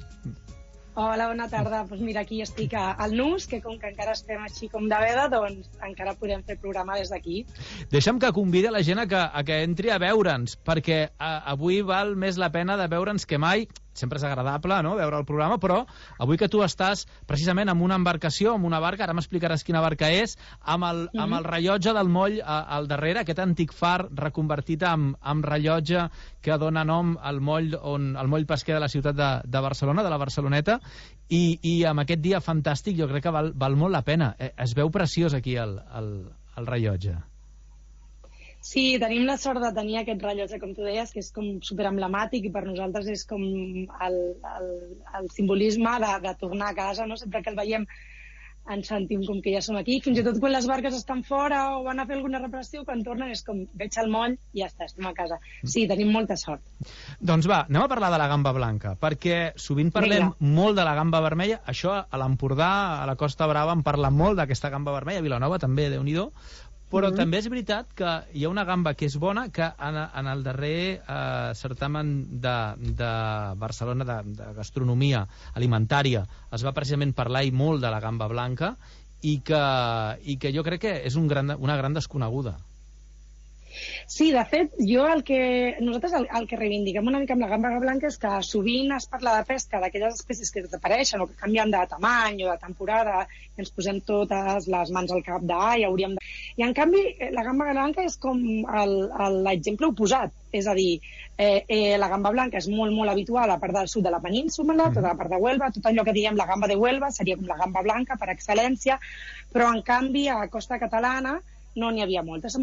Hola, bona tarda. Doncs mira, aquí estic al Nus, que com que encara estem així com de veda, doncs encara podem fer programa des d'aquí. Deixa'm que convidi la gent a que entri a veure'ns, perquè avui val més la pena de veure'ns que mai. Sempre és agradable, no?, veure el programa, però avui que tu estàs precisament amb una embarcació, amb una barca, ara m'explicaràs quina barca és, amb el rellotge del moll al darrere, aquest antic far reconvertit amb rellotge que dona nom al moll pesquer de la ciutat de Barcelona, de la Barceloneta, i amb aquest dia fantàstic jo crec que val molt la pena. Es veu preciós aquí el rellotge. Sí, tenim la sort de tenir aquest rellotge, com tu deies, que és com superemblemàtic i per nosaltres és com el simbolisme de tornar a casa, no? Sempre que el veiem ens sentim com que ja som aquí, fins i tot quan les barques estan fora o van a fer alguna reparació, quan tornen és com veig el moll i ja està, estem a casa. Sí, tenim molta sort. Doncs va, anem a parlar de la gamba blanca, perquè sovint parlem molt de la gamba vermella. Això a l'Empordà, a la Costa Brava, en parla molt d'aquesta gamba vermella, a Vilanova també, Déu-n'hi-do. Però també és veritat que hi ha una gamba que és bona, que en el darrer certamen de Barcelona de gastronomia alimentària es va precisament parlar i molt de la gamba blanca i que jo crec que és una gran desconeguda. Sí, de fet, nosaltres el que reivindiquem una mica amb la gamba blanca és que sovint es parla de pesca d'aquelles espècies que desapareixen o que canvien de tamany o de temporada i ens posem totes les mans al cap I en canvi, la gamba blanca és com l'exemple oposat, és a dir, la gamba blanca és molt, molt habitual a la part del sud de la península, tota la part de Huelva, tot allò que diem la gamba de Huelva seria com la gamba blanca per excel·lència, però en canvi a la costa catalana no n'hi havia moltes.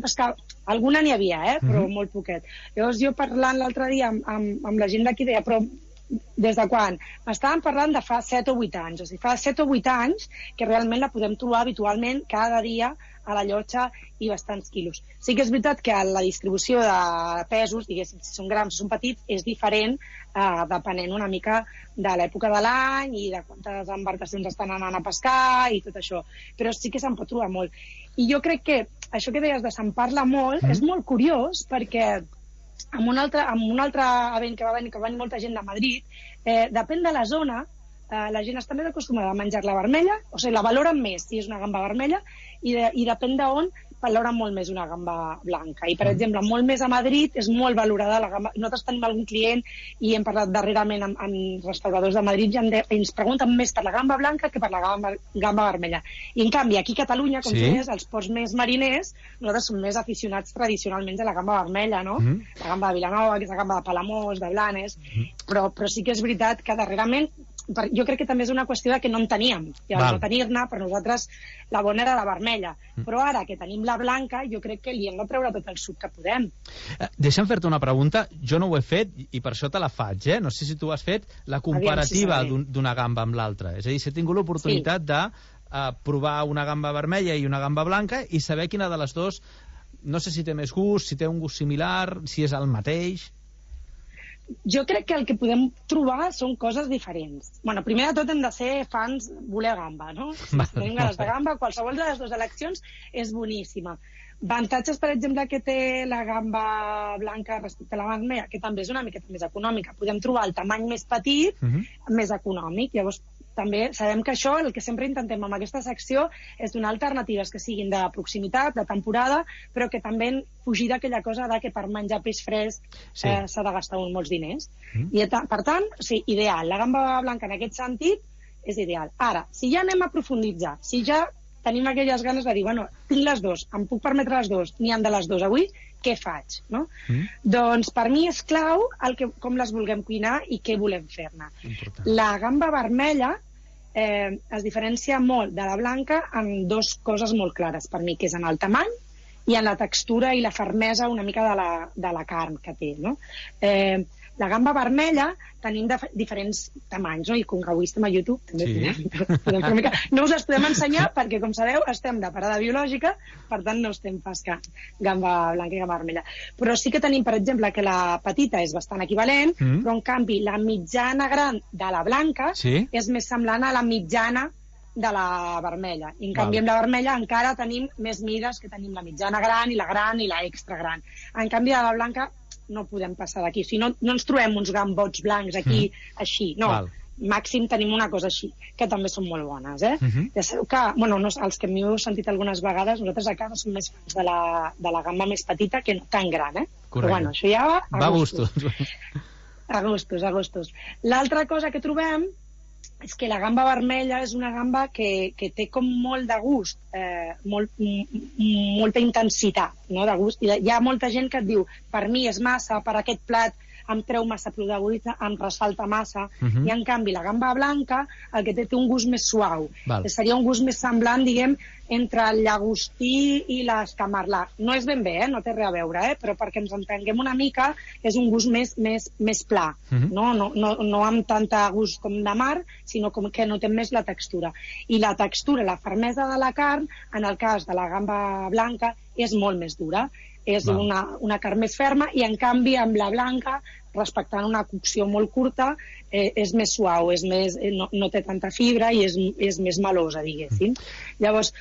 Alguna n'hi havia, però molt poquet. Llavors jo parlant l'altre dia amb la gent d'aquí deia, però des de quan? M'estaven parlant de fa 7 o 8 anys. O sigui, fa 7 o 8 anys que realment la podem trobar habitualment cada dia a la llotja i bastants quilos. Sí que és veritat que la distribució de pesos, diguéssim, si són grans o són petits, és diferent depenent una mica de l'època de l'any i de quantes embarcacions estan anant a pescar i tot això. Però sí que se'n pot trobar molt. I jo crec que això que deies de se'n parla molt és molt curiós perquè en un altre event que va venir molta gent de Madrid, depèn de la zona, la gent està més acostumada a menjar la vermella, o sigui, la valoren més si és una gamba vermella, i depèn d'on valoren molt més una gamba blanca. I, per exemple, molt més a Madrid és molt valorada la gamba. Nosaltres tenim algun client i hem parlat darrerament amb restauradors de Madrid i ens pregunten més per la gamba blanca que per la gamba vermella. I, en canvi, aquí a Catalunya, com tu deies, als ports més mariners, nosaltres som més aficionats tradicionalment de la gamba vermella, no? La gamba de Vilanova, que és la gamba de Palamós, de Blanes, però sí que és veritat que darrerament jo crec que també és una qüestió de que no en teníem, i al no tenir-ne, per nosaltres la bona era la vermella, però ara que tenim la blanca, jo crec que li hem de treure tot el suc que podem. Deixa'm fer-te una pregunta, jo no ho he fet i per això te la faig, no sé si tu has fet la comparativa d'una gamba amb l'altra, és a dir, si he tingut l'oportunitat de provar una gamba vermella i una gamba blanca i saber quina de les dues, no sé si té més gust, si té un gust similar, si és el mateix. Jo crec que el que podem trobar són coses diferents. Bueno, primer de tot hem de ser fans, voler gamba, no? Si tenim ganes de gamba, qualsevol de les dues eleccions és boníssima. Avantatges, per exemple, que té la gamba blanca respecte a la vermella, que també és una miqueta més econòmica. Podem trobar el tamany més petit, més econòmic. Llavors, també sabem que això, el que sempre intentem amb aquesta secció, és donar alternatives que siguin de proximitat, de temporada, però que també fugir d'aquella cosa que per menjar peix fresc s'ha de gastar molts diners. I, per tant, sí, ideal. La gamba blanca en aquest sentit és ideal. Ara, si ja anem a profunditzar, si ja tenim aquelles ganes de dir, bueno, tinc les dues, em puc permetre les dues, n'hi han de les dues avui, què faig? No? Doncs per mi és clau com les vulguem cuinar i què volem fer-ne. La gamba vermella es diferencia molt de la blanca en dues coses molt clares per mi, que és en el tamany i en la textura i la fermesa una mica de la carn que té, no? La gamba vermella tenim diferents tamanys, no? I com que avui estem a YouTube també podem fer una mica... No us les podem ensenyar perquè, com sabeu, estem de parada biològica, per tant no estem pescant gamba blanca i gamba vermella. Però sí que tenim, per exemple, que la petita és bastant equivalent, però en canvi la mitjana gran de la blanca és més semblant a la mitjana de la vermella. I en canvi amb la vermella encara tenim més mides, que tenim la mitjana gran i la extra gran. En canvi de la blanca no podem passar d'aquí. O sigui, no ens trobem uns gambots blancs aquí, així. No, màxim tenim una cosa així, que també són molt bones, Ja sabeu que, bueno, els que m'heu sentit algunes vegades, nosaltres a casa som més fans de la gamba més petita que no tan gran, Però bueno, això ja va a gustos. A gustos. L'altra cosa que trobem és que la gamba vermella és una gamba que té com molt de gust, molta intensitat, no? De gust. I hi ha molta gent que et diu, per mi és massa, per aquest plat em treu massa protagonisme, em ressalta massa, i en canvi la gamba blanca el que té un gust més suau. Seria un gust més semblant, diguem, entre el llagostí i l'escamarlà. No és ben bé, no té res a veure, però perquè ens entenguem una mica, és un gust més pla, no amb tanta gust com de mar, sinó que notem més la textura. I la textura, la fermesa de la carn, en el cas de la gamba blanca, és molt més dura. És una carn més ferma i, en canvi, amb la blanca, respectant una cocció molt curta, és més suau, no té tanta fibra i és més melosa, diguéssim. Llavors,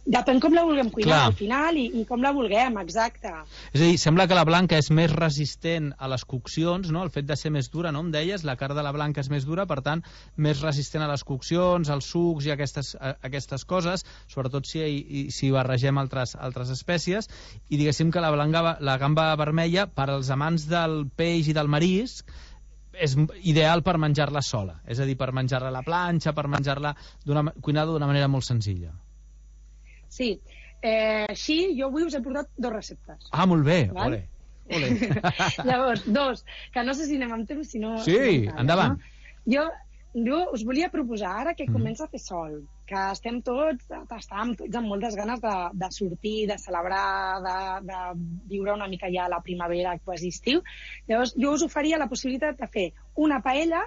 depèn com la vulguem cuinar al final i com la vulguem, exacte. És a dir, sembla que la blanca és més resistent a les coccions, no? El fet de ser més dura, no em deies? La carn de la blanca és més dura, per tant, més resistent a les coccions, als sucs i aquestes coses, sobretot si barregem altres espècies, i diguéssim que la gamba vermella, per als amants del peix i del marisc, és ideal per menjar-la sola, és a dir, per menjar-la a la planxa, per menjar-la cuinada d'una manera molt senzilla. Sí, així jo avui us he portat 2 receptes. Ah, molt bé, ole. Llavors, 2, que no sé si anem amb temps, si no... Sí, endavant. Jo us volia proposar, ara que comença a fer sol, que estàvem tots amb moltes ganes de sortir, de celebrar, de viure una mica ja la primavera, quasi estiu. Llavors, jo us oferia la possibilitat de fer una paella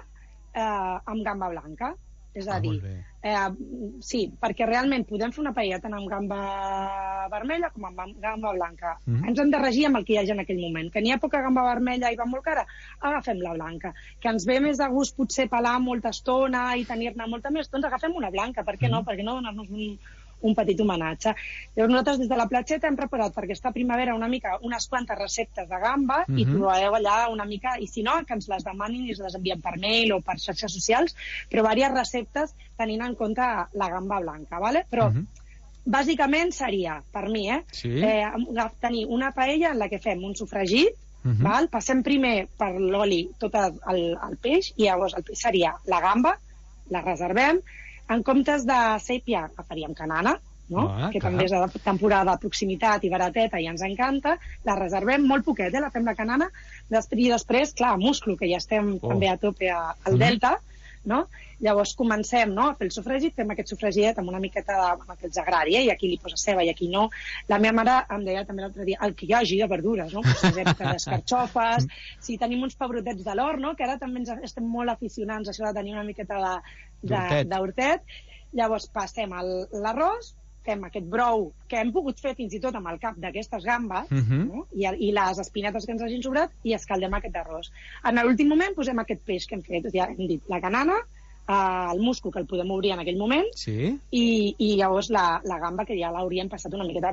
amb gamba blanca. És a dir, sí, perquè realment podem fer una paella tant amb gamba vermella com amb gamba blanca. Ens hem de regir amb el que hi hagi en aquell moment. Que n'hi ha poca gamba vermella i va molt cara, agafem la blanca. Que ens ve més de gust potser pelar molta estona i tenir-ne molta més, doncs agafem una blanca. Per què no? Per què no donar-nos un petit homenatge. Llavors nosaltres des de la platgeta hem preparat per aquesta primavera unes quantes receptes de gamba i trobareu allà una mica, i si no, que ens les demanin i les enviem per mail o per xarxes socials, però diverses receptes tenint en compte la gamba blanca, ¿vale? Però bàsicament seria, per mi, tenir una paella en la que fem un sofregit, passem primer per l'oli tot el peix, i llavors el peix seria la gamba, la reservem. En comptes de sèpia, faríem canana, que també és de temporada de proximitat i barateta i ens encanta. La reservem molt poquet, la fem la canana, i després, clar, musclo, que ja estem també a tope al Delta, no? Llavors comencem, no?, a fer el sofregit, fem aquest sofregidet amb una miqueta amb el que els agradi, i aquí li posa ceba i aquí no. La meva mare em deia també l'altre dia el que hi hagi de verdures, no? Si és carxofes, si tenim uns pebrotets de l'hort, no?, que ara també estem molt aficionats a això de tenir una miqueta d'hortet. Llavors passem l'arròs, fem aquest brou que hem pogut fer fins i tot amb el cap d'aquestes gambes, no? I les espinetes que ens hagin sobrat, i escaldem aquest arròs. En l'últim moment posem aquest peix que hem fet, ja hem dit, la canana, el musclo, que el podem obrir en aquell moment, i llavors la gamba, que ja l'hauríem passat una miqueta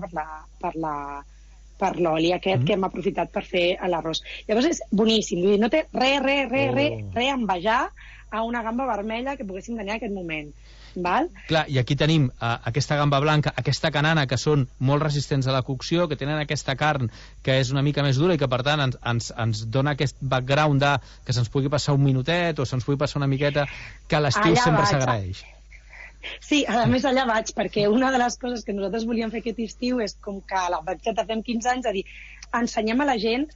per l'oli aquest que hem aprofitat per fer l'arròs. Llavors és boníssim, vull dir, no té res a envejar a una gamba vermella que poguéssim tenir en aquest moment. Val? Clar, i aquí tenim aquesta gamba blanca, aquesta canana, que són molt resistents a la cocció, que tenen aquesta carn que és una mica més dura i que per tant ens dona aquest background que se'ns pugui passar un minutet o se'ns pugui passar una miqueta, que a l'estiu sempre s'agraeix. Sí, a més allà vaig, perquè una de les coses que nosaltres volíem fer aquest estiu és, com que a la Batxeta fem 15 anys, a dir, ensenyem a la gent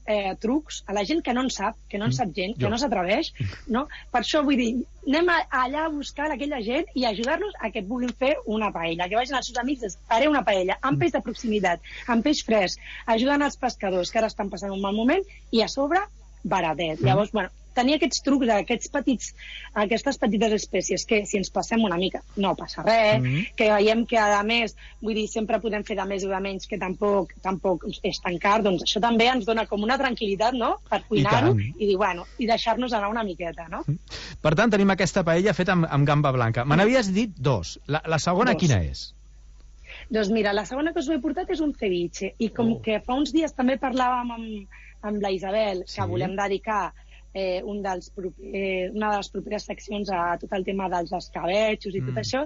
trucs, a la gent que no en sap, que no en sap gent, que no s'atreveix, no? Per això vull dir, anem allà a buscar aquella gent i ajudar-los a que vulguin fer una paella, que vagin als seus amics i faré una paella, amb peix de proximitat, amb peix fresc, ajudant els pescadors que ara estan passant un mal moment, i a sobre baratet. Llavors, bueno, tenir aquests trucs, aquestes petites espècies que si ens passem una mica no passa res, que veiem que a més, vull dir, sempre podem fer de més o de menys, que tampoc és tan car, doncs això també ens dona com una tranquil·litat, no?, per cuinar-ho i dir, bueno, i deixar-nos anar una miqueta, no? Per tant, tenim aquesta paella feta amb gamba blanca. Me n'havies dit 2. La segona quina és? Doncs mira, la segona que us he portat és un ceviche, i com que fa uns dies també parlàvem amb la Isabel, que volem dedicar una de les properes seccions a tot el tema dels escabetxos i tot això,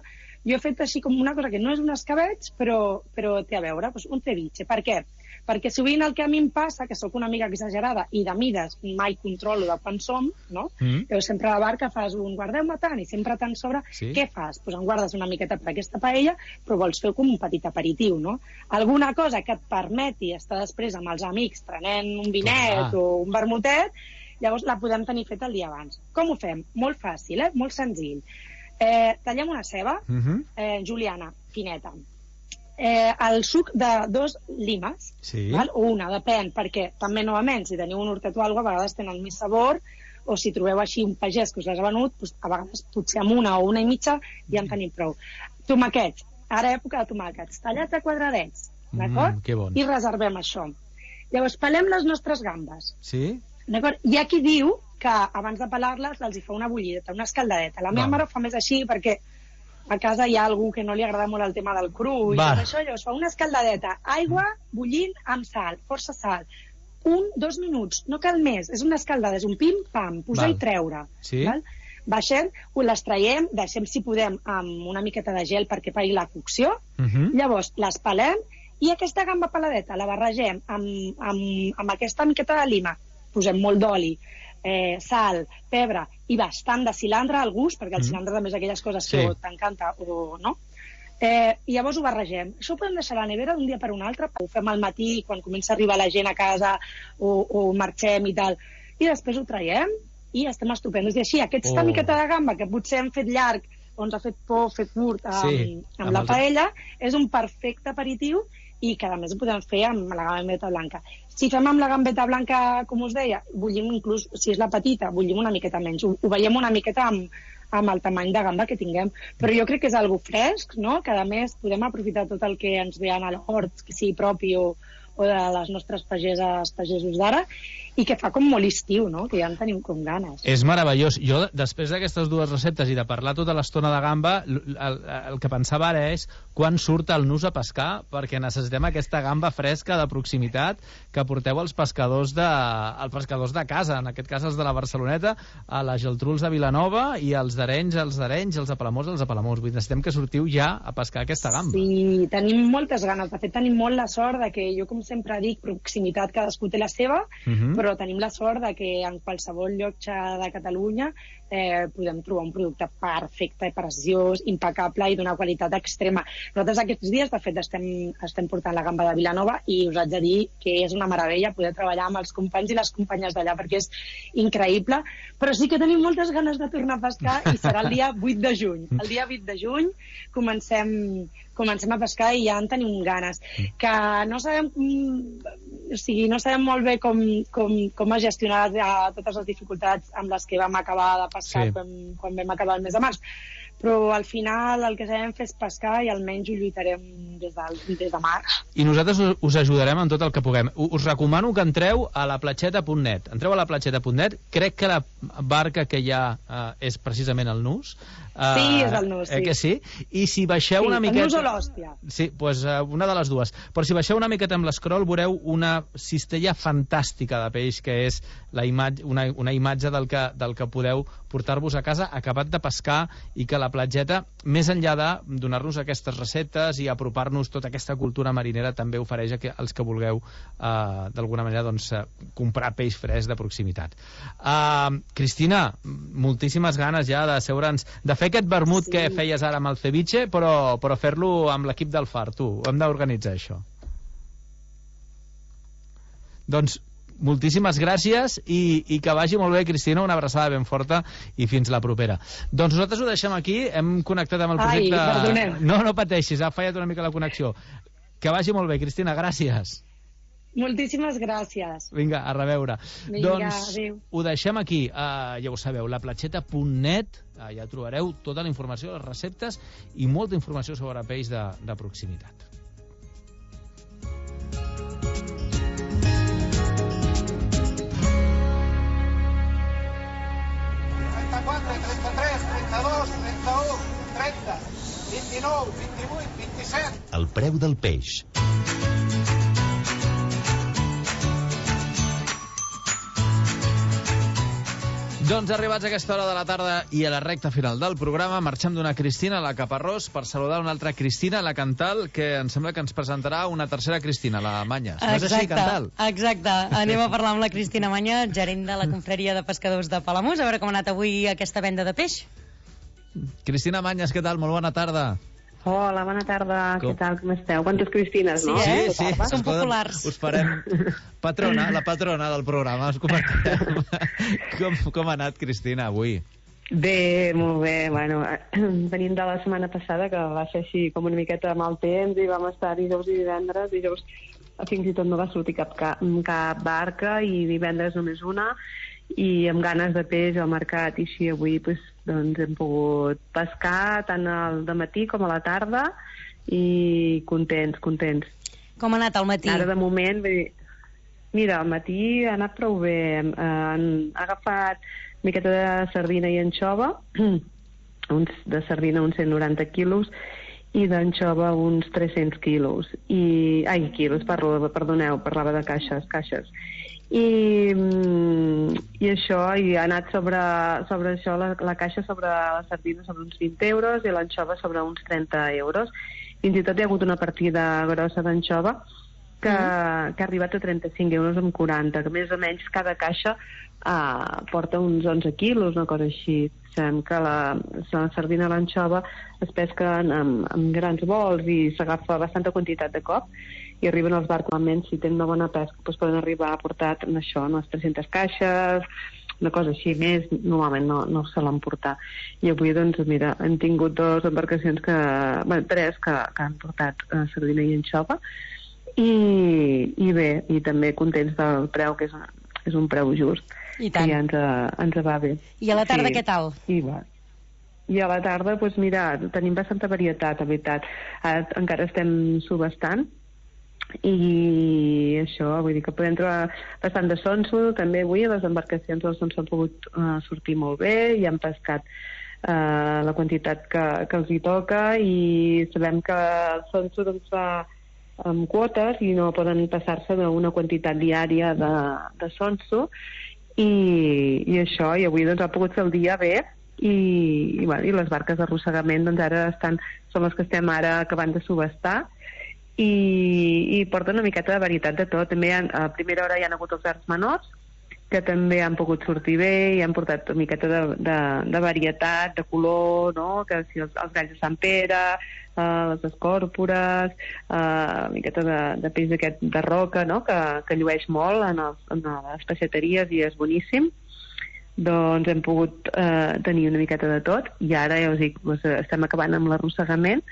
jo he fet així com una cosa que no és un escabetx, però té a veure, doncs un ceviche. Per què? Perquè sovint el que a mi em passa, que sóc una mica exagerada i de mides mai controlo de quan som, no? Però sempre a la barca fas un guardeu-me tant i sempre tant sobre, què fas? Doncs en guardes una miqueta per aquesta paella, però vols fer com un petit aperitiu, no? Alguna cosa que et permeti estar després amb els amics prenent un vinet o un vermutet, llavors la podem tenir feta el dia abans. Com ho fem? Molt fàcil, molt senzill. Tallem una ceba, juliana, fineta. El suc de 2 limes, o una, depèn, perquè també, novament, si teniu un hortet o alguna cosa, a vegades tenen més sabor, o si trobeu així un pagès que us l'ha venut, a vegades potser amb una o una i mitja ja en tenim prou. Tomàquets, ara època de tomàquets, tallats a quadradets, d'acord? I reservem això. Llavors, pelem les nostres gambes. Sí? Hi ha qui diu que abans de pelar-les els hi fa una bullideta, una escaldadeta. La meva mare ho fa més així perquè a casa hi ha algú que no li agrada molt el tema del cru i tot això, llavors fa una escaldadeta, aigua bullint amb sal, força sal, 1-2 minuts, no cal més, és una escaldada, és un pim-pam, posar i treure. Baixem, les traiem, deixem si podem amb una miqueta de gel perquè pari la cocció, llavors les pelem i aquesta gamba peladeta la barregem amb aquesta miqueta de lima, posem molt d'oli, sal, pebre i bastant de cilantre al gust, perquè el cilantre també és aquelles coses que t'encanta o no. I llavors ho barregem. Això ho podem deixar a la nevera d'un dia per un altre, ho fem al matí quan comença a arribar la gent a casa o marxem i tal, i després ho traiem i estem estupendos. I així, aquesta miqueta de gamba que potser hem fet llarg o ens ha fet por fer curt amb la paella, és un perfecte aperitiu i que a més ho podem fer amb la gambeta blanca. Si fem amb la gambeta blanca, com us deia, bullim inclús, si és la petita, bullim una miqueta menys, ho veiem una miqueta amb el tamany de gamba que tinguem, però jo crec que és algo fresc, no?, que a més podem aprofitar tot el que ens ve a l'hort, que sigui propi o de les nostres pagesos d'ara, i que fa com molt estiu, no?, que ja en tenim com ganes. És meravellós. Jo, després d'aquestes 2 receptes i de parlar tota l'estona de gamba, el que pensava ara és quan surt el nus a pescar, perquè necessitem aquesta gamba fresca de proximitat que porteu als pescadors de casa, en aquest cas els de la Barceloneta, a la Geltruls de Vilanova, i els d'Arenys, els de Palamós, els de Palamós. Necessitem que sortiu ja a pescar aquesta gamba. Sí, tenim moltes ganes. De fet, tenim molt la sort de que jo, com sempre dic, proximitat, cadascú té la seva, però tenim la sort de que en qualsevol lloc de Catalunya podem trobar un producte perfecte, preciós, impecable i d'una qualitat extrema. Nosaltres aquests dies, de fet, estem portant la gamba de Vilanova i us haig de dir que és una meravella poder treballar amb els companys i les companyes d'allà perquè és increïble, però sí que tenim moltes ganes de tornar a pescar i serà el dia 8 de juny. El dia 8 de juny comencem a pescar i ja en tenim ganes. Que no sabem, no sabem molt bé com es gestionarà totes les dificultats amb les que vam acabar de pescar quan vam acabar el mes de març. Però al final el que sabem fer és pescar i almenys ho lluitarem des de març. I nosaltres us ajudarem en tot el que puguem. Us recomano que entreu a laplatxeta.net. Entreu a laplatxeta.net. Crec que la barca que hi ha és precisament el nus. Sí, és el nus, sí. Que sí? I si baixeu una miqueta... el nus o l'hòstia. Sí, doncs una de les dues. Però si baixeu una miqueta amb l'escroll veureu una cistella fantàstica de peix, que és una imatge del que podeu portar-vos a casa acabat de pescar, i que la platgeta, més enllà de donar-nos aquestes receptes i apropar-nos tota aquesta cultura marinera, també ofereix als que vulgueu d'alguna manera comprar peix fresc de proximitat. Cristina, moltíssimes ganes ja de seure'ns, de fer aquest vermut que feies ara amb el ceviche, però fer-lo amb l'equip del Far, tu. Hem d'organitzar això. Doncs moltíssimes gràcies i que vagi molt bé, Cristina, una abraçada ben forta i fins la propera. Doncs nosaltres ho deixem aquí, hem connectat amb el projecte... Ai, perdonem. No pateixis, ha fallat una mica la connexió. Que vagi molt bé, Cristina, gràcies. Moltíssimes gràcies. Vinga, a reveure. Vinga, doncs adéu. ho deixem aquí, ja ho sabeu, laplatxeta.net, ja trobareu tota la informació, les receptes i molta informació sobre peix de proximitat. El preu del peix. Doncs arribats a aquesta hora de la tarda i a la recta final del programa, marxem d'una Cristina, la Caparrós, per saludar una altra Cristina, la Cantal, que em sembla que ens presentarà una tercera Cristina, la Manyes. No és així, Cantal? Exacte. Anem a parlar amb la Cristina Manya, gerent de la Confraria de Pescadors de Palamós, a veure com ha anat avui aquesta venda de peix. Cristina Manyes, què tal? Molt bona tarda. Hola, bona tarda. Què tal? Com esteu? Quantes Cristines, no? Sí. Són populars. Us farem la patrona del programa. Us comentarem com ha anat, Cristina, avui. Bé, molt bé. Bueno, venim de la setmana passada, que va ser així com una miqueta mal temps, i vam estar dijous i divendres. Dijous fins i tot no va sortir cap barca, i divendres només una, i amb ganes de peix al mercat, i així avui doncs hem pogut pescar tant al dematí com a la tarda, i contents. Com ha anat el matí? Ara de moment, mira, al matí ha anat prou bé. Han agafat una miqueta de sardina i anxova, de sardina uns 190 quilos, i d'anxova uns 300 quilos. Perdoneu, parlava de caixes. I això, i ha anat sobre això, la caixa sobre la sardina sobre uns 20 euros i l'anxova sobre uns 30 euros. Fins i tot hi ha hagut una partida grossa d'anxova que ha arribat a 35 euros amb 40, que més o menys cada caixa porta uns 11 quilos, una cosa així. Sabem que la sardina i l'anxova es pesquen amb grans vols i s'agafa bastanta quantitat de cop, i arriben als barcos, si tenen una bona pesca, doncs poden arribar a portar això, unes 300 caixes, una cosa així, més normalment no se l'han portat. I avui, doncs, mira, hem tingut dues embarcacions tres que han portat sardina i anxova, i bé, i també contents del preu, que és un preu just, i tant. Que ja ens va bé. I a la tarda què tal? I a la tarda, doncs mira, tenim bastanta varietat, la veritat. Encara estem subestant, i això, vull dir que podem trobar bastant de sonso, també avui les embarcacions del sonso han pogut sortir molt bé, i han pescat la quantitat que els hi toca, i sabem que el sonso doncs va amb quotes i no poden passar-se d'una quantitat diària de sonso, i això, i avui doncs ha pogut fer el dia bé, i les barques d'arrossegament doncs ara són les que estem ara acabant de subestar, i porten una miqueta de varietat de tot. També a primera hora hi ha hagut els arts menors, que també han pogut sortir bé i han portat una miqueta de varietat, de color, no? Que si els galls de Sant Pere, les escòrpores, una miqueta de peix aquest de roca, no? Que llueix molt en les peixateries i és boníssim. Doncs hem pogut tenir una miqueta de tot i ara, ja us dic, estem acabant amb l'arrossegament,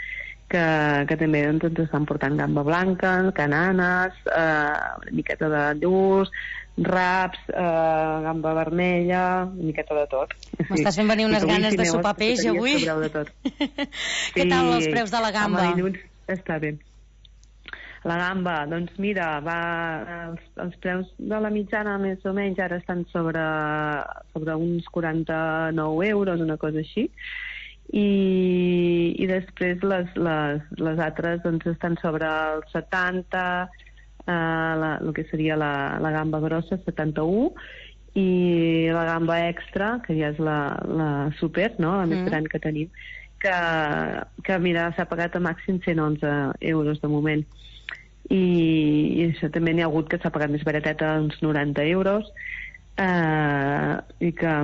que també ens estan portant gamba blanca, cananes, una miqueta de lluç, raps, gamba vermella, una miqueta de tot. M'estàs fent venir unes ganes de sopar peix avui? Què tal els preus de la gamba? Està bé. La gamba, doncs mira, els preus de la mitjana més o menys ara estan sobre uns 49 euros, una cosa així. I després les altres doncs estan sobre els 70, el que seria la gamba grossa 71, i la gamba extra, que ja és la super, no? La més gran que tenim, que mira, s'ha pagat a màxim 111 euros de moment. I això també n'hi ha hagut que s'ha pagat més barateta, uns 90 euros, i que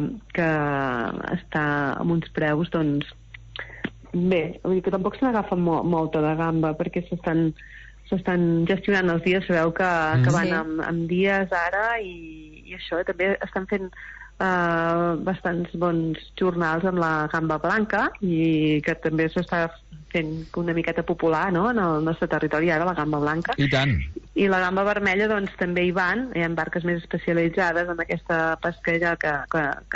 està amb uns preus, doncs, bé, vull dir que tampoc se n'agafa molta de gamba, perquè s'estan gestionant els dies, sabeu que van amb dies ara, i això, també estan fent bastants bons jornals amb la gamba blanca, i que també s'està fent una miqueta popular, no?, en el nostre territori ara, la gamba blanca. I tant. I la gamba vermella, doncs, també hi van, hi ha barques més especialitzades en aquesta pesquera que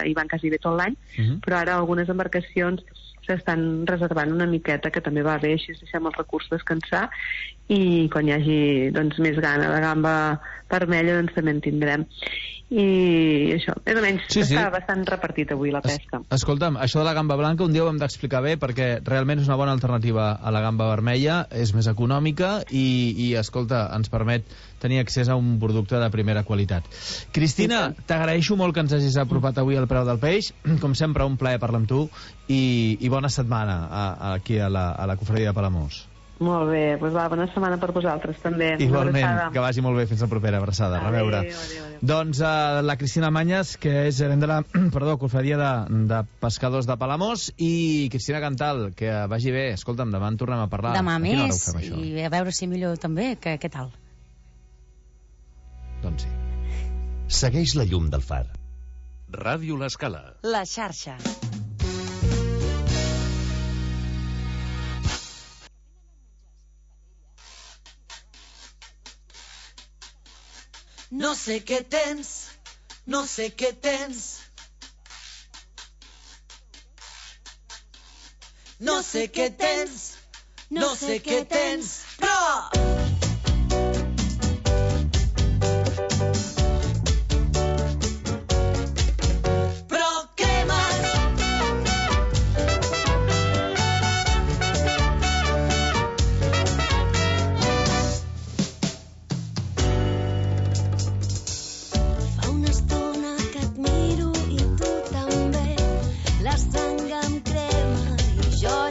hi van quasi bé tot l'any, però ara algunes embarcacions s'estan reservant una miqueta, que també va bé, així deixem els recursos descansar, i quan hi hagi, doncs, més gana de gamba vermella, doncs també en tindrem. I això, més o menys, està bastant repartit avui la pesca. Escolta'm, això de la gamba blanca un dia ho hem d'explicar bé, perquè realment és una bona alternativa a la gamba vermella, és més econòmica i escolta, ens permet tenir accés a un producte de primera qualitat. Cristina, t'agraeixo molt que ens hagis apropat avui al preu del peix. Com sempre, un plaer parlar amb tu i bona setmana aquí a la Cofradia de Palamós. Molt bé, doncs bona setmana per vosaltres també. Igualment, que vagi molt bé, fins la propera abraçada. Reveure. Doncs la Cristina Mañas, que és gerent de la Cofradia de Pescadors de Palamós, i Cristina Cantal, que vagi bé. Escolta'm, demà en tornem a parlar. Demà més, i a veure si millor també. Què tal? Doncs sí. Segueix la llum del far. Ràdio L'Escala. La xarxa. No sé què tens, no sé què tens. No sé què tens, no sé què tens, però...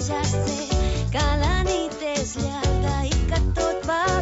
Ja sé que la nit és llarga i que tot va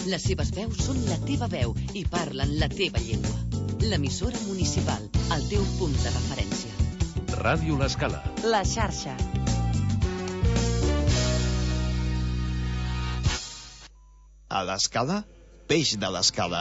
Les seves veus són la teva veu i parlen la teva llengua. L'emissora municipal, el teu punt de referència. Ràdio L'Escala. La xarxa. A l'Escala, peix de l'Escala.